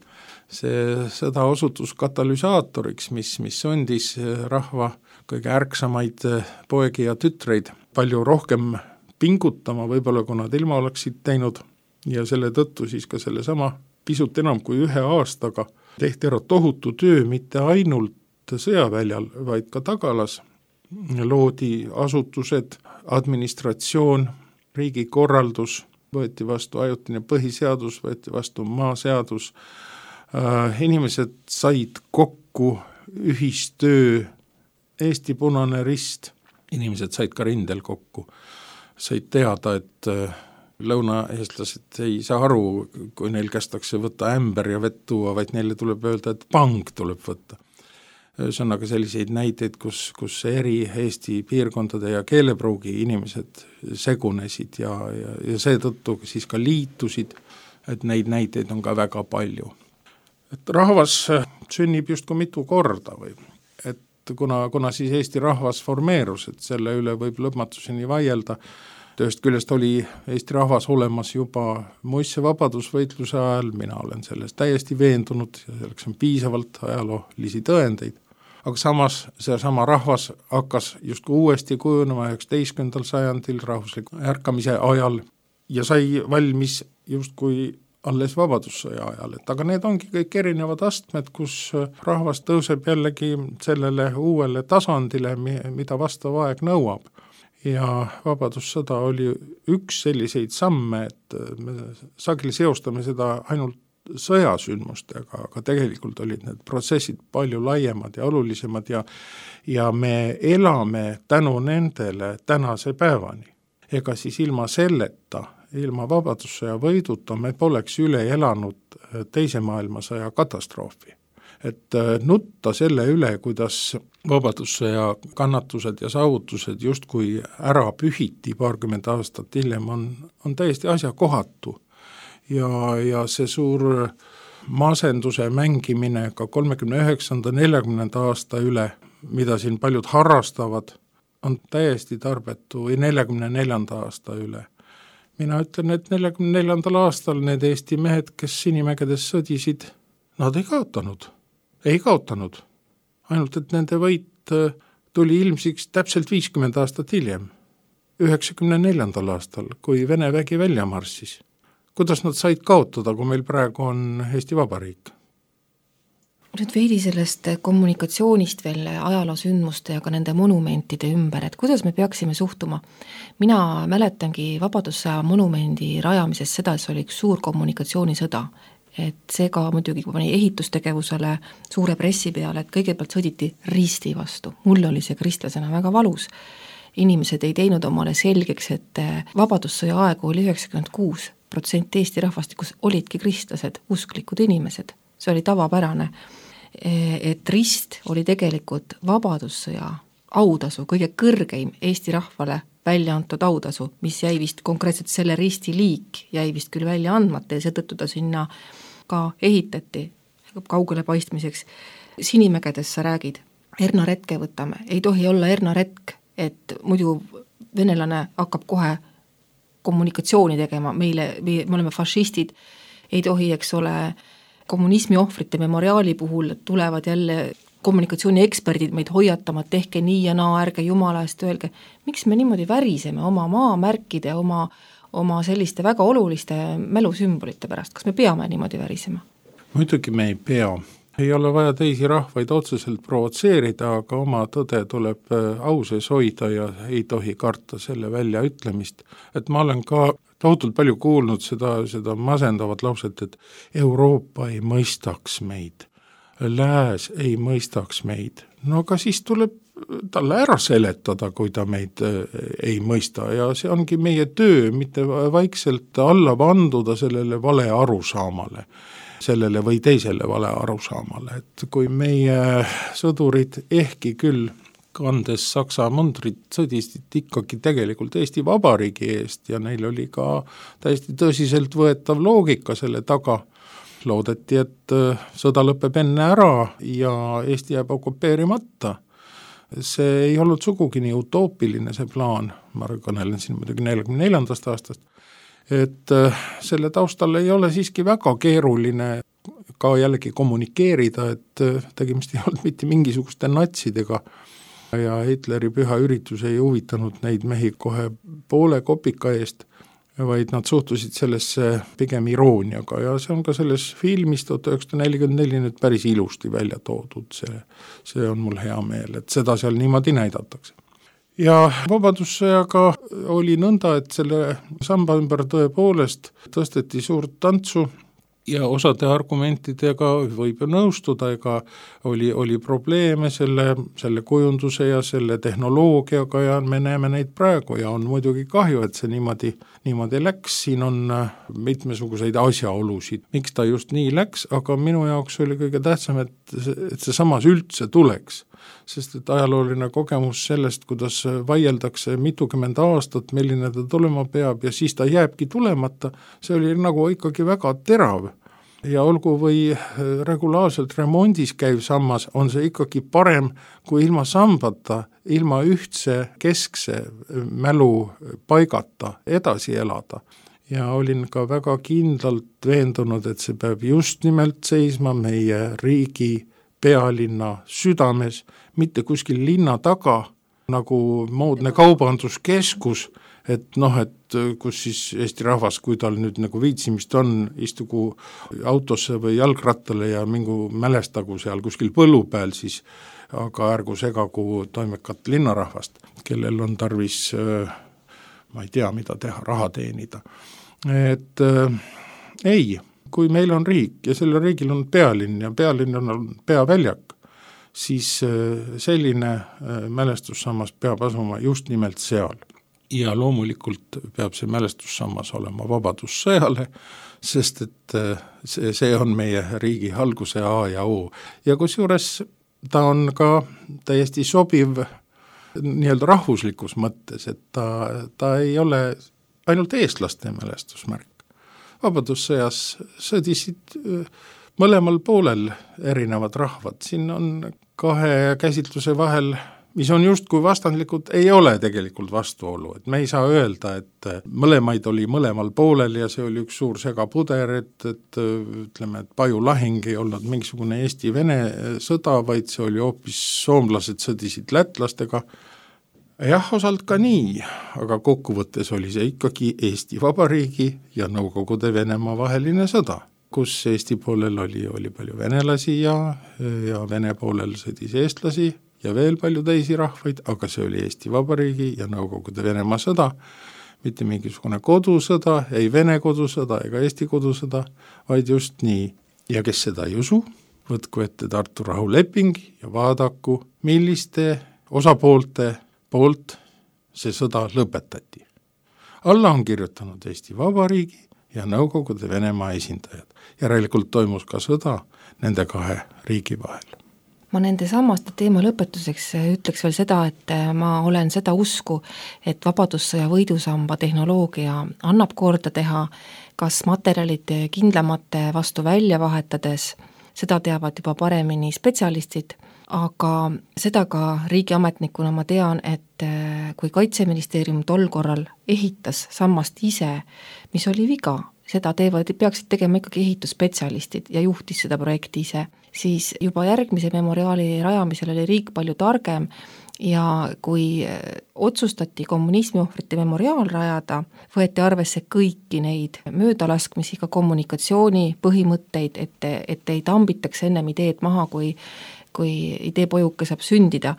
See sõda osutus katalüsaatoriks, mis sundis rahva kõige ärksamaid poegi ja tütreid palju rohkem pingutama, võib-olla kui nad ilma oleksid teinud, ja selle tõttu siis ka selle sama pisut enam kui 1 aastaga tehti ära tohutu töö mitte ainult sõjaväljal, vaid ka tagalas. Loodi asutused, administratsioon, riigikorraldus, võeti vastu ajutine põhiseadus, võeti vastu maaseadus, inimesed said kokku, ühistöö, Eesti Punane Rist, inimesed said ka rindel kokku, said teada, et lõunaeestlased ei saa aru, kui neil kästakse võtta ämber ja vett tuua, vaid neile tuleb öelda, et pang tuleb võtta. Ühesõnaga selliseid näiteid, kus eri Eesti piirkondade ja keelepruugi inimesed segunesid ja seetõttu siis ka liitusid, et neid näiteid on ka väga palju. Et rahvas sünnib justkui mitu korda või, et kuna siis Eesti rahvas formeerus, et selle üle võib lõpmatuseni vaielda. Ühest küljest oli Eesti rahvas olemas juba muistse vabadusvõitluse ajal, mina olen sellest täiesti veendunud ja selleks on piisavalt ajaloolisi tõendeid. Aga samas seesama rahvas hakkas justkui uuesti kujunema 19. sajandil rahvusliku ärkamise ajal ja sai valmis justkui alles vabadussõja ajal, et aga need ongi kõik erinevad astmed, kus rahvas tõuseb jällegi sellele uuele tasandile, mida vastav aeg nõuab. Ja vabadussõda oli üks selliseid samme, et me sageli seostame seda ainult sõjasündmustega, aga tegelikult olid need protsessid palju laiemad ja olulisemad ja me elame tänu nendele tänase päevani. Ega siis ilma selleta, ilma vabadussõja võiduta me poleks üle elanud teise maailmasõja katastroofi. Et nutta selle üle, kuidas vabadussõja kannatused ja saavutused justkui ära pühiti 20 aastat hiljem on täiesti asjakohatu. Ja see suur masenduse mängimine ka 39. 40. aasta üle, mida siin paljud harrastavad, on täiesti tarbetu või 44. aasta üle. Mina ütlen, et 44. aastal need Eesti mehed, kes Sinimägedes sõdisid, nad ei kaotanud. Ainult, et nende võit tuli ilmsiks täpselt 50 aastat hiljem, 94. aastal, kui Vene vägi välja marssis. Kuidas nad said kaotada, kui meil praegu on Eesti Vabariik? Nüüd veidi sellest kommunikatsioonist veel ajaloosündmuste ja ka nende monumentide ümber, et kuidas me peaksime suhtuma. Mina mäletangi vabadussõja monumendi rajamises seda, et see oli üks suur kommunikatsioonisõda. Et see ka muidugi pani ehitustegevusele suure pressi peale, et kõigepealt sõditi risti vastu. Mulle oli see kristlasena väga valus. Inimesed ei teinud omale selgeks, et vabadussõja aegu oli 96% Eesti rahvastikus olidki kristlased, usklikud inimesed. See oli tavapärane, et rist oli tegelikult vabadussõja autasu, kõige kõrgeim Eesti rahvale välja antud autasu, mis jäi vist konkreetselt selle risti liik, jäi vist küll välja andmata ja seetõttu ta sinna ka ehitati kaugele paistmiseks. Sinimägedes sa räägid, hernaretke võtame, ei tohi olla hernaretk, et muidu venelane hakkab kohe kommunikatsiooni tegema, me oleme fašistid, ei tohi, eks ole, kommunismi ohvrite memoriaali puhul tulevad jälle kommunikatsiooni eksperdid meid hoiatama, et tehke nii ja naa, ärge jumala eest öelge. Miks me niimoodi väriseme oma maamärkide, oma selliste väga oluliste mälusümbolite pärast? Kas me peame niimoodi värisema? Muidugi me ei pea. Ei ole vaja teisi rahvaid otseselt provotseerida, aga oma tõde tuleb au sees hoida ja ei tohi karta selle väljaütlemist. Et ma olen ka tohutult palju kuulnud seda masendavat lauset, et Euroopa ei mõistaks meid. Lääs ei mõistaks meid. No aga siis tuleb talle ära seletada, kui ta meid ei mõista ja see ongi meie töö, mitte vaikselt alla vanduda sellele vale arusaamale, sellele või teisele vale arusaamale, et kui meie sõdurid ehkki küll kandes Saksa mundrit sõdisid ikkagi tegelikult Eesti Vabariigi eest ja neil oli ka täiesti tõsiselt võetav loogika selle taga, loodeti, et sõda lõpeb enne ära ja Eesti jääb okupeerimata. See ei olnud sugugi nii utoopiline see plaan, ma kõnelen siin muidugi 44. aastast, et selle taustal ei ole siiski väga keeruline ka jällegi kommunikeerida, et tegemist ei olnud mitte mingisuguste natsidega ja Hitleri püha üritus ei huvitanud neid mehi kohe poole kopika eest, vaid nad suhtusid sellesse pigem irooniaga ja see on ka selles filmis 1944 nüüd päris ilusti välja toodud, see on mul hea meel, et seda seal niimoodi näidatakse. Ja vabadussõjaga oli nõnda, et selle samba ümber tõepoolest tõsteti suurt tantsu ja osade argumentidega võib ju nõustuda, ega oli probleeme selle kujunduse ja selle tehnoloogiaga ja me näeme neid praegu ja on muidugi kahju, et see niimoodi läks, siin on mitmesuguseid asjaolusid, miks ta just nii läks, aga minu jaoks oli kõige tähtsam, et see samas üldse tuleks, sest et ajalooline kogemus sellest, kuidas vaieldakse mitukümmend aastat, milline ta tulema peab ja siis ta jääbki tulemata, see oli nagu ikkagi väga terav. Ja olgu või regulaarselt remondis käiv sammas, on see ikkagi parem kui ilma sambata, ilma ühtse keskse mälu paigata edasi elada. Ja olin ka väga kindlalt veendunud, et see peab just nimelt seisma meie riigi pealinna südames, mitte kuskil linna taga, nagu moodne kaubanduskeskus, et kus siis Eesti rahvas, kui tal nüüd nagu viitsimist on, istugu autosse või jalgrattale ja mingu mälestagu seal kuskil põllu peal, siis aga ärgu segagu toimekat linnarahvast, kellel on tarvis, ma ei tea, mida teha, raha teenida. Et ei, kui meil on riik ja sellel riigil on pealinn ja pealinn on peaväljak, siis selline mälestussammas peab asuma just nimelt seal. Ja loomulikult peab see mälestussammas olema vabadussõjale, sest et see on meie riigi alguse A ja O. Ja kusjuures ta on ka täiesti sobiv nii-öelda rahvuslikus mõttes, et ta ei ole ainult eestlaste mälestusmärk. Vabadussõjas sõdisid mõlemal poolel erinevad rahvad. Siin on kahe käsitluse vahel, mis on justkui vastandlikud, ei ole tegelikult vastuolu. Et me ei saa öelda, et mõlemaid oli mõlemal poolel ja see oli üks suur segapuder, et ütleme, et Paju lahing ei olnud mingisugune Eesti-Vene sõda, vaid see oli hoopis soomlased sõdisid lätlastega. Jah, osalt ka nii, aga kokkuvõttes oli see ikkagi Eesti Vabariigi ja Nõukogude Venemaa vaheline sõda, kus Eesti poolel oli palju venelasi ja Vene poolel sõdis eestlasi ja veel palju teisi rahvaid, aga see oli Eesti Vabariigi ja Nõukogude Venemaa sõda, mitte mingisugune kodusõda, ei Vene kodusõda ega Eesti kodusõda, vaid just nii. Ja kes seda ei usu, võtku ette Tartu rahuleping ja vaadaku, milliste osapoolte poolt see sõda lõpetati. Alla on kirjutanud Eesti Vabariigi ja Nõukogude Venemaa esindajad. Järelikult toimus ka sõda nende kahe riigi vahel. Ma nende samaste teema lõpetuseks ütleks veel seda, et ma olen seda usku, et vabadussõja võidusamba tehnoloogia annab korda teha, kas materjalid kindlamate vastu välja vahetades, seda teavad juba paremini spetsialistid, aga seda ka riigiametnikuna ma tean, et kui Kaitseministeerium tol korral ehitas sammast ise, mis oli viga, seda peaksid tegema ikkagi ehitusspetsialistid ja juhtis seda projekti ise, siis juba järgmise memoriaali rajamisel oli riik palju targem ja kui otsustati kommunismiohvrite memoriaal rajada, võeti arvesse kõiki neid möödalaskmisi, ka kommunikatsiooni põhimõtteid, et ei tambitaks ennem ideed maha, kui ideepojuke saab sündida.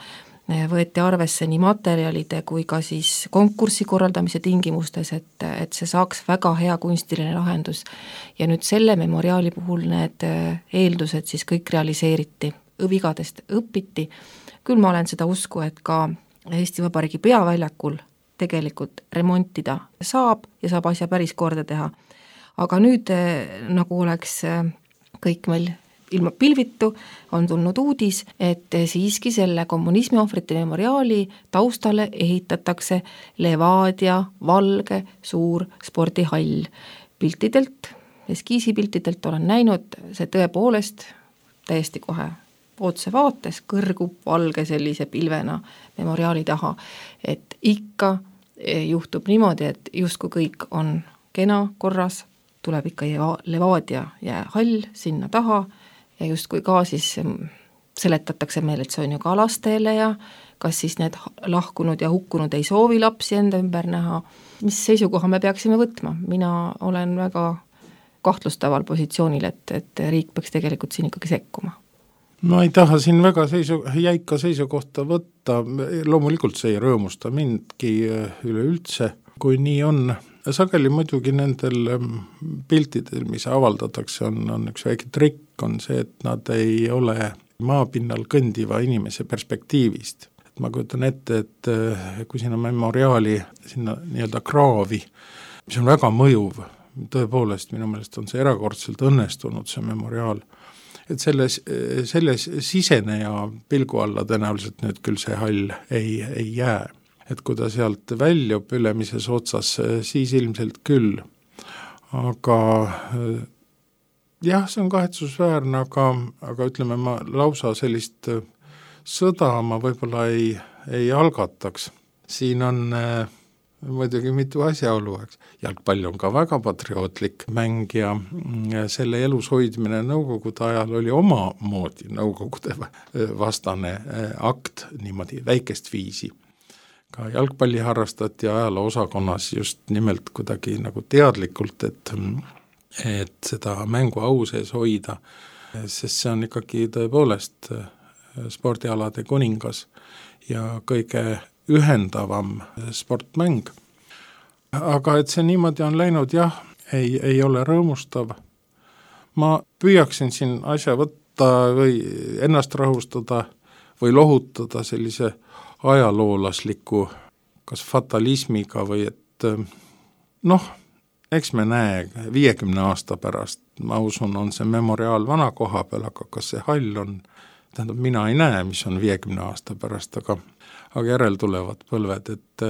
Võeti arvesse nii materjalide kui ka siis konkursi korraldamise tingimustes, et see saaks väga hea kunstiline lahendus. Ja nüüd selle memoriaali puhul need eeldused siis kõik realiseeriti, vigadest õpiti. Küll ma olen seda usku, et ka Eesti Vabariigi peaväljakul tegelikult remontida saab ja saab asja päris korda teha. Aga nüüd nagu oleks kõik meil ilma pilvitu on tulnud uudis, et siiski selle kommunismiohvrite memoriaali taustale ehitatakse Levadia valge suur spordihall. Piltidelt eskiisipiltidelt olen näinud, see tõepoolest täiesti kohe otse vaates kõrgub valge sellise pilvena memoriaali taha, et ikka juhtub niimoodi, et justkui kõik on kena korras, tuleb ikka Levadia jäähall sinna taha ja justkui ka siis seletatakse meile, et see on ju ka lastele ja kas siis need lahkunud ja hukkunud ei soovi lapsi enda ümber näha. Mis seisukoha me peaksime võtma? Mina olen väga kahtlustaval positsioonil, et riik peaks tegelikult siin ikkagi sekkuma. Ma ei taha siin väga jäika seisukohta võtta, loomulikult see ei rõõmusta mindki üleüldse, kui nii on. Sageli muidugi nendel piltidel, mis avaldatakse, on üks väike trikk, on see, et nad ei ole maapinnal kõndiva inimese perspektiivist. Ma kujutan ette, et kui sinna memoriaali, sinna nii-öelda kraavi, mis on väga mõjuv, tõepoolest minu meelest on see erakordselt õnnestunud, see memoriaal, et selles siseneja pilgu alla tõenäoliselt nüüd küll see hall ei jää. Et kui ta sealt väljub ülemises otsas, siis ilmselt küll. Aga jah, see on kahetsusväärne, aga ütleme, ma lausa sellist sõda ma võib-olla ei algataks. Siin on muidugi mitu asjaolu, eks. Jalgpall on ka väga patriootlik mäng ja selle elus hoidmine nõukogude ajal oli omamoodi nõukogude vastane akt niimoodi väikest viisi. Ka jalgpalli harrastati ajaloo osakonnas just nimelt kuidagi nagu teadlikult, et seda mängu au sees hoida, sest see on ikkagi tõepoolest spordialade kuningas ja kõige ühendavam sportmäng. Aga et see niimoodi on läinud, jah, ei ole rõõmustav. Ma püüaksin siin asja võtta või ennast rahustada või lohutada sellise ajaloolasliku kas fatalismiga või et eks me näe 50 aasta pärast, ma usun, on see memoriaal vana koha peal, aga kas see hall on, tähendab, mina ei näe, mis on 50 aasta pärast, aga järel tulevad põlved, et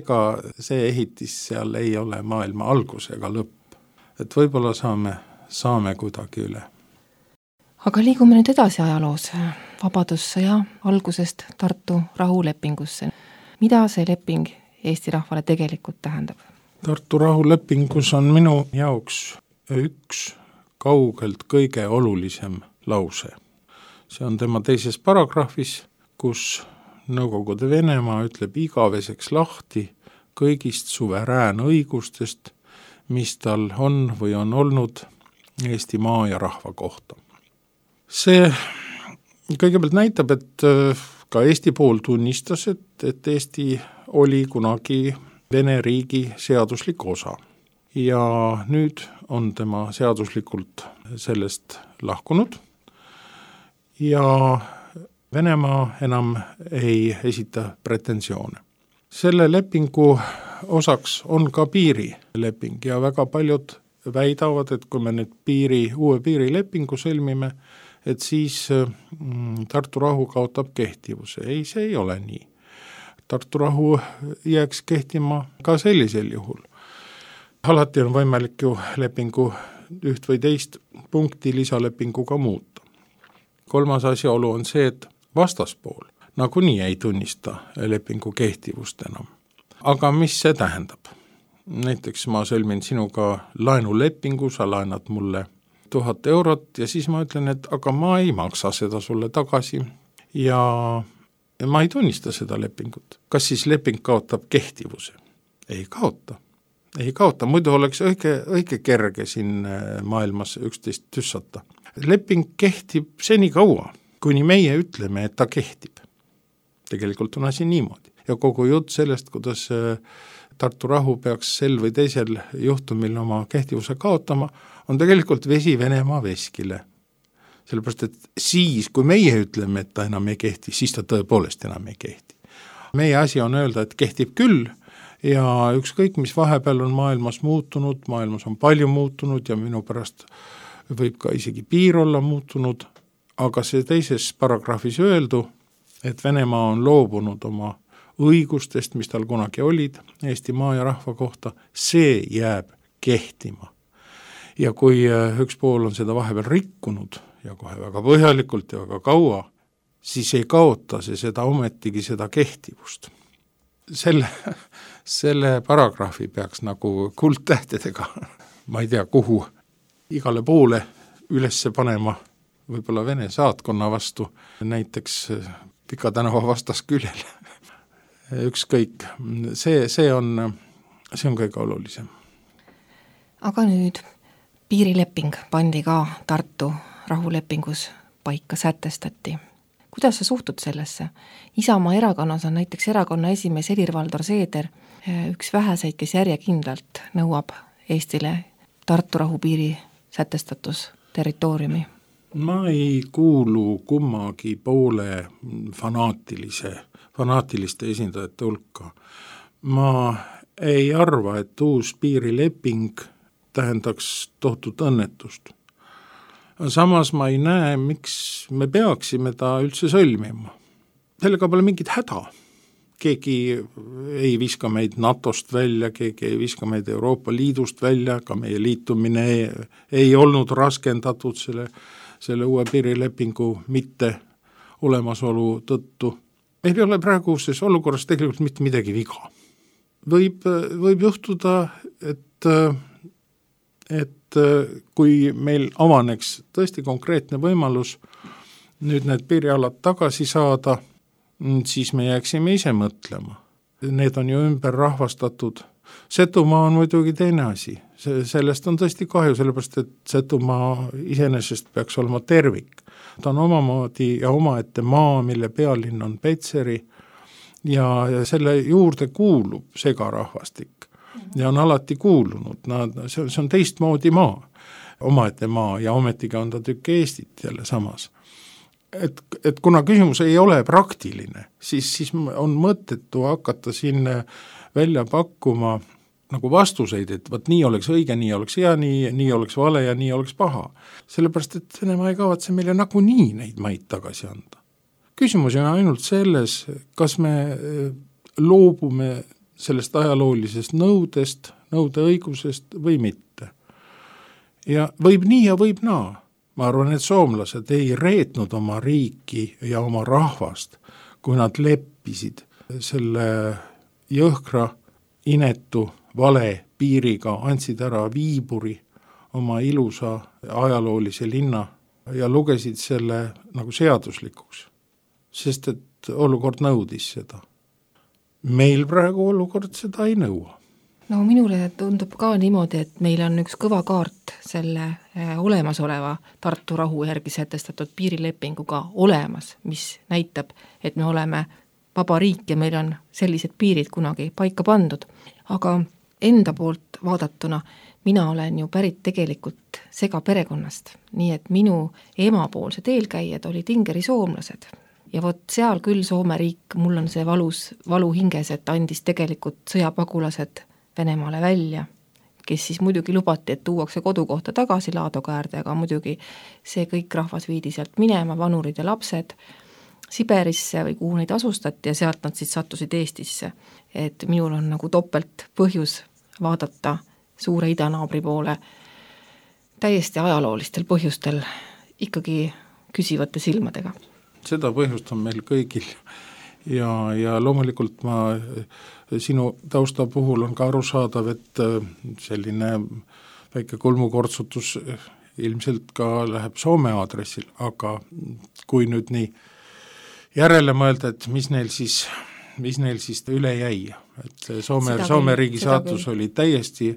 ega see ehitis seal ei ole maailma algus ega lõpp, et võib-olla saame kuidagi üle. Aga liigume nüüd edasi ajaloos, vabadussõja algusest Tartu rahulepingusse. Mida see leping Eesti rahvale tegelikult tähendab? Tartu rahulepingus on minu jaoks üks kaugelt kõige olulisem lause. See on tema teises paragrahvis, kus Nõukogude Venemaa ütleb igaveseks lahti kõigist suveräänõigustest, mis tal on või on olnud Eesti maa ja rahva kohta. See kõigepealt näitab, et ka Eesti pool tunnistas, et Eesti oli kunagi Vene riigi seaduslik osa. Ja nüüd on tema seaduslikult sellest lahkunud ja Venemaa enam ei esita pretensioone. Selle lepingu osaks on ka piirileping ja väga paljud väidavad, et kui me nüüd uue piirilepingu sõlmime, et siis Tartu rahu kaotab kehtivuse. Ei, see ei ole nii. Tartu rahu jääks kehtima ka sellisel juhul. Alati on võimalik ju lepingu üht või teist punkti lisalepinguga muuta. Kolmas asjaolu on see, et vastaspool nagunii ei tunnista lepingu kehtivust enam. Aga mis see tähendab? Näiteks ma sõlmin sinuga laenulepingu, sa laenad mulle 1000 eurot ja siis ma ütlen, et aga ma ei maksa seda sulle tagasi ja ma ei tunnista seda lepingut. Kas siis leping kaotab kehtivuse? Ei kaota, muidu oleks õige kerge siin maailmas üksteist tüssata. Leping kehtib seni kaua, kuni meie ütleme, et ta kehtib. Tegelikult on asi niimoodi. Ja kogu jutt sellest, kuidas Tartu rahu peaks sel või teisel juhtumil oma kehtivuse kaotama, on tegelikult vesi Venemaa veskile. Sellepärast, et siis, kui meie ütleme, et ta enam ei kehti, siis ta tõepoolest enam ei kehti. Meie asi on öelda, et kehtib küll ja ükskõik, mis vahepeal on maailmas muutunud, maailmas on palju muutunud ja minu pärast võib ka isegi piir olla muutunud, aga see teises paragrahvis öeldu, et Venemaa on loobunud oma õigustest, mis tal kunagi olid Eesti maa ja rahva kohta, see jääb kehtima. ja kui üks pool on seda vahepeal rikkunud ja kohe väga põhjalikult ja väga kaua, siis ei kaota see seda ometigi seda kehtivust. Selle paragrahvi peaks nagu kuldtähtedega, ma ei tea kuhu, igale poole ülesse panema, võib-olla Vene saatkonna vastu, näiteks Pika tänava vastasküljel. Ükskõik, see on kõige olulisem. Aga nüüd piirileping pandi ka Tartu rahulepingus paika, sätestati. Kuidas sa suhtud sellesse? Isamaa erakonnas on näiteks erakonna esimees Helir-Valdor Seeder üks väheseid, kes järjekindlalt nõuab Eestile Tartu rahupiiri sätestatus territooriumi. Ma ei kuulu kummagi poole fanaatiliste esindajate hulka. Ma ei arva, et uus piirileping tähendaks tohutut õnnetust. Samas ma ei näe, miks me peaksime ta üldse sõlmima. Sellega pole mingit häda. Keegi ei viska meid NATOst välja, keegi ei viska meid Euroopa Liidust välja, ka meie liitumine ei olnud raskendatud selle uue piirilepingu mitte olemasolu tõttu. Meil ei ole praeguses olukorras tegelikult mitte midagi viga. Võib juhtuda, et kui meil avaneks tõesti konkreetne võimalus nüüd need piirialad tagasi saada, siis me jääksime ise mõtlema. Need on ju ümber rahvastatud. Setumaa on muidugi teine asi. Sellest on tõesti kahju, sellepärast et Setumaa iseenesest peaks olema tervik. Ta on omamoodi ja omaette maa, mille pealinn on Petseri ja selle juurde kuulub segarahvastik ja on alati kuulunud. See on teistmoodi maa, omaette maa ja ometigi on ta tükk Eestit jälle samas. Et kuna küsimus ei ole praktiline, siis on mõttetu hakata siin välja pakkuma nagu vastuseid, et võt nii oleks õige, nii oleks hea, nii oleks vale ja nii oleks paha. Sellepärast, et Venemaa ei kavatse meile nagunii neid maid tagasi anda. Küsimus on ainult selles, kas me loobume sellest ajaloolisest nõudeõigusest või mitte. Ja võib nii ja võib naa. Ma arvan, et soomlased ei reetnud oma riiki ja oma rahvast, kui nad leppisid selle jõhkra, inetu, vale piiriga, andsid ära Viiburi, oma ilusa ajaloolise linna ja lugesid selle nagu seaduslikuks, sest et olukord nõudis seda. Meil praegu olukord seda ei nõua. No minule tundub ka niimoodi, et meil on üks kõva kaart selle olemasoleva Tartu rahu järgi sätestatud piirilepinguga olemas, mis näitab, et me oleme vaba riik ja meil on sellised piirid kunagi paika pandud. Aga enda poolt vaadatuna mina olen ju pärit tegelikult segaperekonnast, nii et minu emapoolsed eelkäijad olid ingeri soomlased. Ja vot seal küll Soome riik, mul on see valu hinges, et andis tegelikult sõjapagulased Venemaale välja, kes siis muidugi lubati, et tuuakse kodukohta tagasi Laadokäärde, aga muidugi see kõik rahvas viidi sealt minema, vanurid ja lapsed Siberisse või kuhu neid asustati ja sealt nad siis sattusid Eestisse. Et minul on nagu topelt põhjus vaadata suure idanaabri poole täiesti ajaloolistel põhjustel ikkagi küsivate silmadega. Seda põhjust on meil kõigil ja loomulikult sinu tausta puhul on ka arusaadav, et selline väike kulmukortsutus ilmselt ka läheb Soome aadressil, aga kui nüüd nii järele mõelda, et mis neil siis üle jäi, et Soome riigi saatus oli täiesti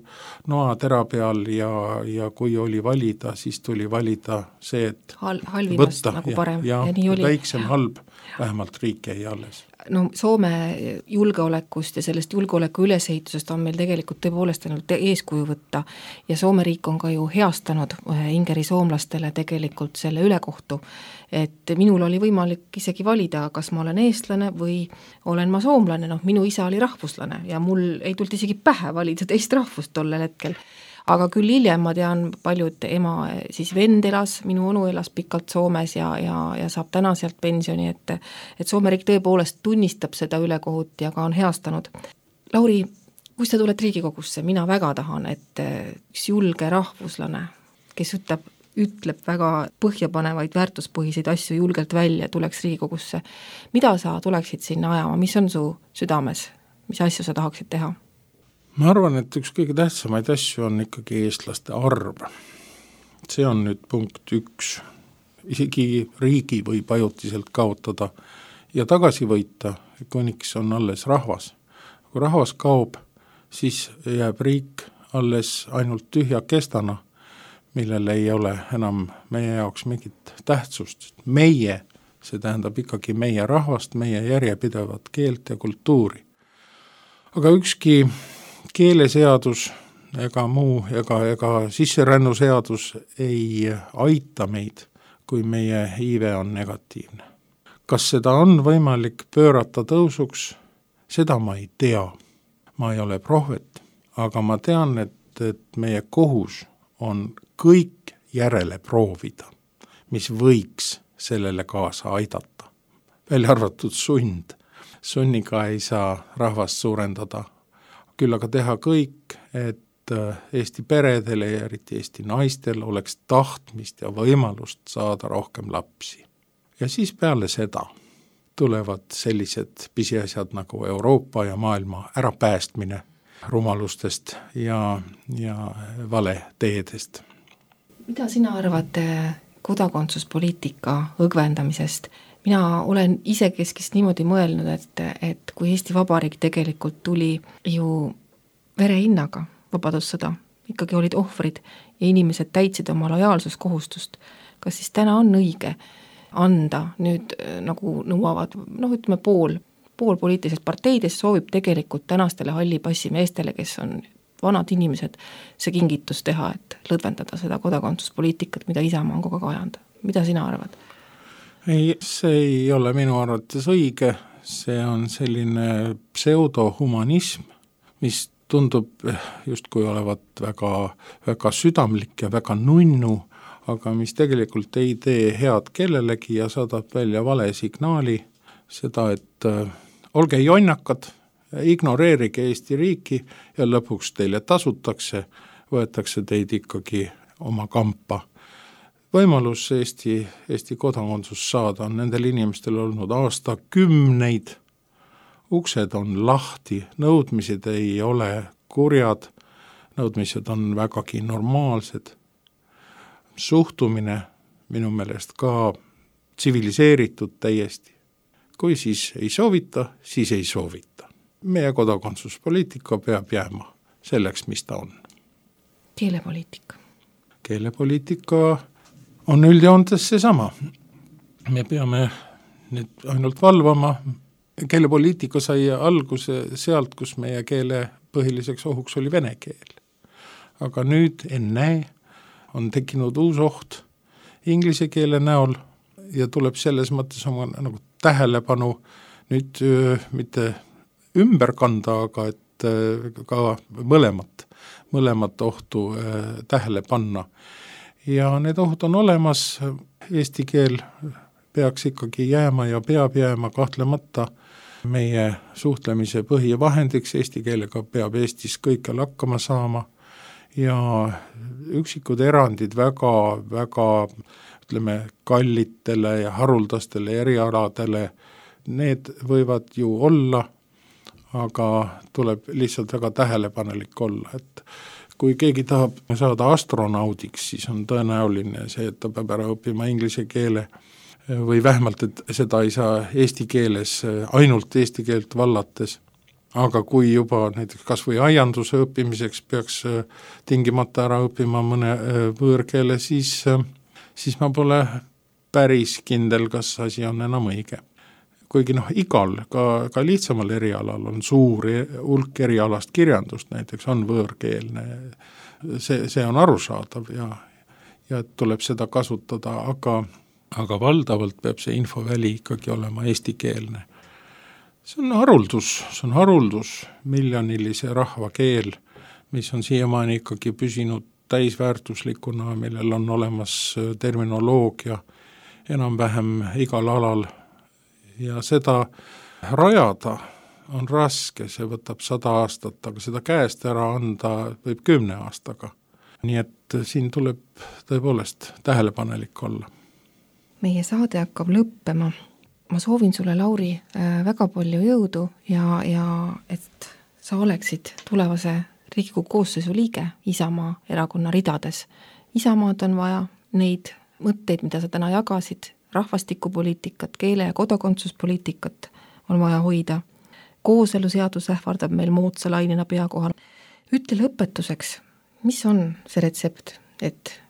noatera peal ja kui oli valida, siis tuli valida see, et halvimast nagu parem ja nii oli. Väiksem halb, vähemalt riik jäi alles. No Soome julgeolekust ja sellest julgeoleku ülesehitusest on meil tegelikult tõepoolest ainult eeskuju võtta ja Soome riik on ka ju heastanud ingeri soomlastele tegelikult selle ülekohtu, et minul oli võimalik isegi valida, kas ma olen eestlane või olen ma soomlane, minu isa oli rahvuslane ja mul ei tulnud isegi pähe valida teist rahvust tollel hetkel. Aga küll hiljem ma tean paljud ema siis vend elas, minu onu elas pikalt Soomes ja saab täna sealt pensioni, et Soome riik tõepoolest tunnistab seda ülekohut ja ka on heastanud. Lauri, Kui sa tuled Riigikogusse, mina väga tahan, et üks julge rahvuslane, kes ütleb väga põhjapanevaid väärtuspõhiseid asju julgelt välja, tuleks Riigikogusse. Mida sa tuleksid sinna ajama, mis on su südames, mis asju sa tahaksid teha? Ma arvan, et üks kõige tähtsamaid asju on ikkagi eestlaste arv. See on nüüd punkt 1. Isegi riigi võib ajutiselt kaotada ja tagasi võita, kuniks on alles rahvas. Kui rahvas kaob, siis jääb riik alles ainult tühja kestana, millel ei ole enam meie jaoks mingit tähtsust. Meie, see tähendab ikkagi meie rahvast, meie järjepidevat keelt ja kultuuri. Aga ükski keeleseadus ega muu ega sisserännuseadus ei aita meid, kui meie iive on negatiivne. Kas seda on võimalik pöörata tõusuks? Seda ma ei tea. Ma ei ole prohvet, aga ma tean, et meie kohus on kõik järele proovida, mis võiks sellele kaasa aidata. Välja arvatud sund. Sunniga ei saa rahvast suurendada. Küll aga teha kõik, et Eesti peredele ja eriti Eesti naistel oleks tahtmist ja võimalust saada rohkem lapsi. Ja siis peale seda tulevad sellised pisiasjad nagu Euroopa ja maailma ärapäästmine rumalustest ja vale teedest. Mida sina arvad kodakondsuspoliitika õgvendamisest? Mina olen isekeskist niimoodi mõelnud, et kui Eesti Vabariik tegelikult tuli ju verehinnaga vabadussõda, ikkagi olid ohvrid ja inimesed täitsid oma lojaalsuskohustust, kas siis täna on õige anda nüüd nagu nõuavad, ütleme pool poliitilisest parteidest soovib tegelikult tänastele hallipassimeestele, kes on vanad inimesed, see kingitus teha, et lõdvendada seda kodakondsuspoliitikat, mida Isamaa on kogu aeg ajanud. Mida sina arvad? Ei, see ei ole minu arvates õige, see on selline pseudohumanism, mis tundub justkui olevat väga, väga südamlik ja väga nunnu, aga mis tegelikult ei tee head kellelegi ja saadab välja vale signaali, seda, et olge jonnakad, ignoreerige Eesti riiki ja lõpuks teile tasutakse, võetakse teid ikkagi oma kampa. Võimalus Eesti kodakondsus saada on nendel inimestel olnud aastakümneid. Uksed on lahti, nõudmised ei ole kurjad, nõudmised on vägagi normaalsed. Suhtumine minu meelest ka tsiviliseeritud täiesti. Kui siis ei soovita, siis ei soovita. Meie kodakondsuspoliitika peab jääma selleks, mis ta on. Keelepoliitika. Keelepoliitika on üldjoontes seesama. Me peame nüüd ainult valvama. Keelepoliitika sai alguse sealt, kus meie keele põhiliseks ohuks oli vene keel. Aga nüüd enne on tekkinud uus oht inglise keele näol ja tuleb selles mõttes oma nagu tähelepanu nüüd mitte ümber kanda, aga et ka mõlemat ohtu tähele panna. Ja need ohud on olemas, eesti keel peaks ikkagi jääma ja peab jääma kahtlemata meie suhtlemise põhivahendiks, eesti keelega peab Eestis kõikjal hakkama saama ja üksikud erandid väga ütleme kallitele ja haruldastele erialadele, need võivad ju olla, aga tuleb lihtsalt väga tähelepanelik olla, et kui keegi tahab saada astronaudiks, siis on tõenäoline see, et ta peab ära õppima inglise keele või vähemalt, et seda ei saa eesti keeles, ainult eesti keelt vallates. Aga kui juba näiteks kas või aianduse õppimiseks peaks tingimata ära õppima mõne võõrkeele, siis ma pole päris kindel, kas asi on enam õige. Kuigi igal, ka lihtsamal erialal on suur hulk erialast kirjandust, näiteks on võõrkeelne, see on arusaadav ja tuleb seda kasutada, aga valdavalt peab see infoväli ikkagi olema eestikeelne. See on haruldus, miljonilise rahva keel, mis on siiamaani ikkagi püsinud täisväärtuslikuna, millel on olemas terminoloogia enam-vähem igal alal ja seda rajada on raske, see võtab 100 aastat, aga seda käest ära anda võib 10 aastaga. Nii et siin tuleb tõepoolest tähelepanelik olla. Meie saade hakkab lõppema. Ma soovin sulle, Lauri, väga palju jõudu ja et sa oleksid tulevase Riigikogu koosseisu liige Isamaa erakonna ridades. Isamaad on vaja, neid mõtteid, mida sa täna jagasid, rahvastikupoliitikat, keele- ja kodakondsuspoliitikat on vaja hoida. Kooseluseadus ähvardab meil moodsa lainena pea kohal. Ütle lõpetuseks, mis on see retsept, et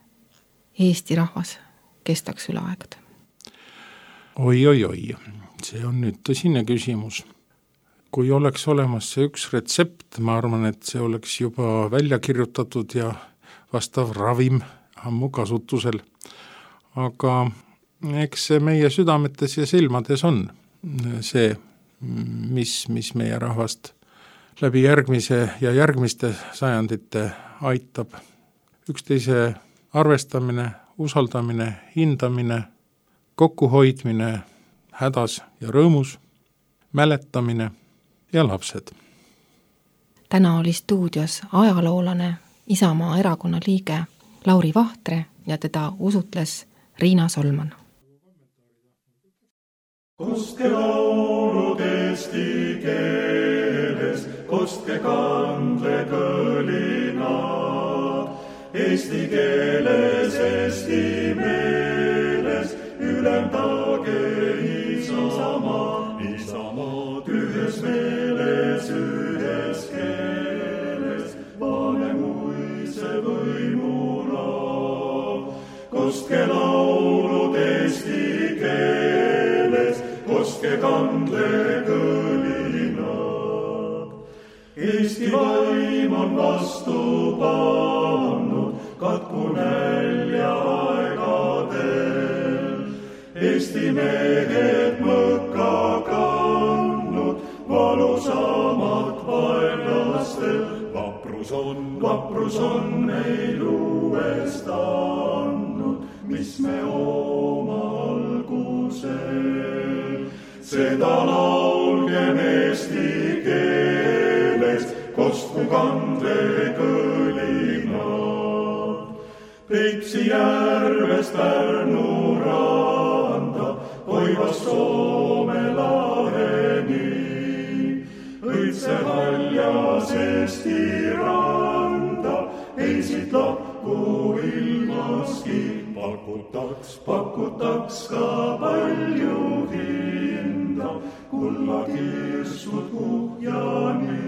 Eesti rahvas kestaks üle aegade? Oi, see on nüüd tõsine küsimus. Kui oleks olemas see üks retsept, ma arvan, et see oleks juba välja kirjutatud ja vastav ravim ammu kasutusel. Aga eks see meie südametes ja silmades on see, mis meie rahvast läbi järgmise ja järgmiste sajandite aitab. Üksteise arvestamine, usaldamine, hindamine, kokkuhoidmine, hädas ja rõõmus, mäletamine ja lapsed. Täna oli stuudios ajaloolane, Isamaa erakonna liige Lauri Vahtre ja teda usutles Riina Solman. Kostke laulud eesti keeles, kostke kandle kõlinad, eesti keeles, eesti meeles, ülendage Isamaad, ühes meeles, ühes keeles, Vanemuise võimula. Kostke laulud eesti keeles, kostke kandle kõlinad. Eesti vaim on vastu pannud, katku nälja aegadel. Eesti mehed mõkka kandnud, valusamat vaenlastel. Vaprus on meil uuest andnud, mis me oma algusel. Seda laulgem eesti keeles, kostku kandle kõlinad. Peipsi järvest Pärnu randa, Koivast Soome laheni. Õitse haljas Eesti randa, ei siit lakku ilmaski. Pakutaks ka palju hinda, kulla kirsud kuhjani.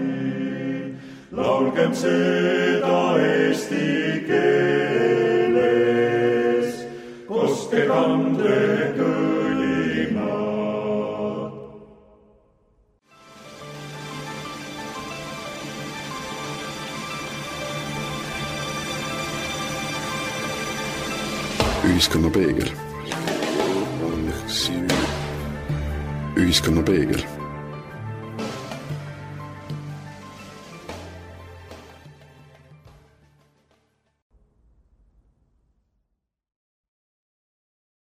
Laulgem seda eesti keeles, kostke kandle kõlinad. Ühiskonna peegel. Ühiskonna peegel.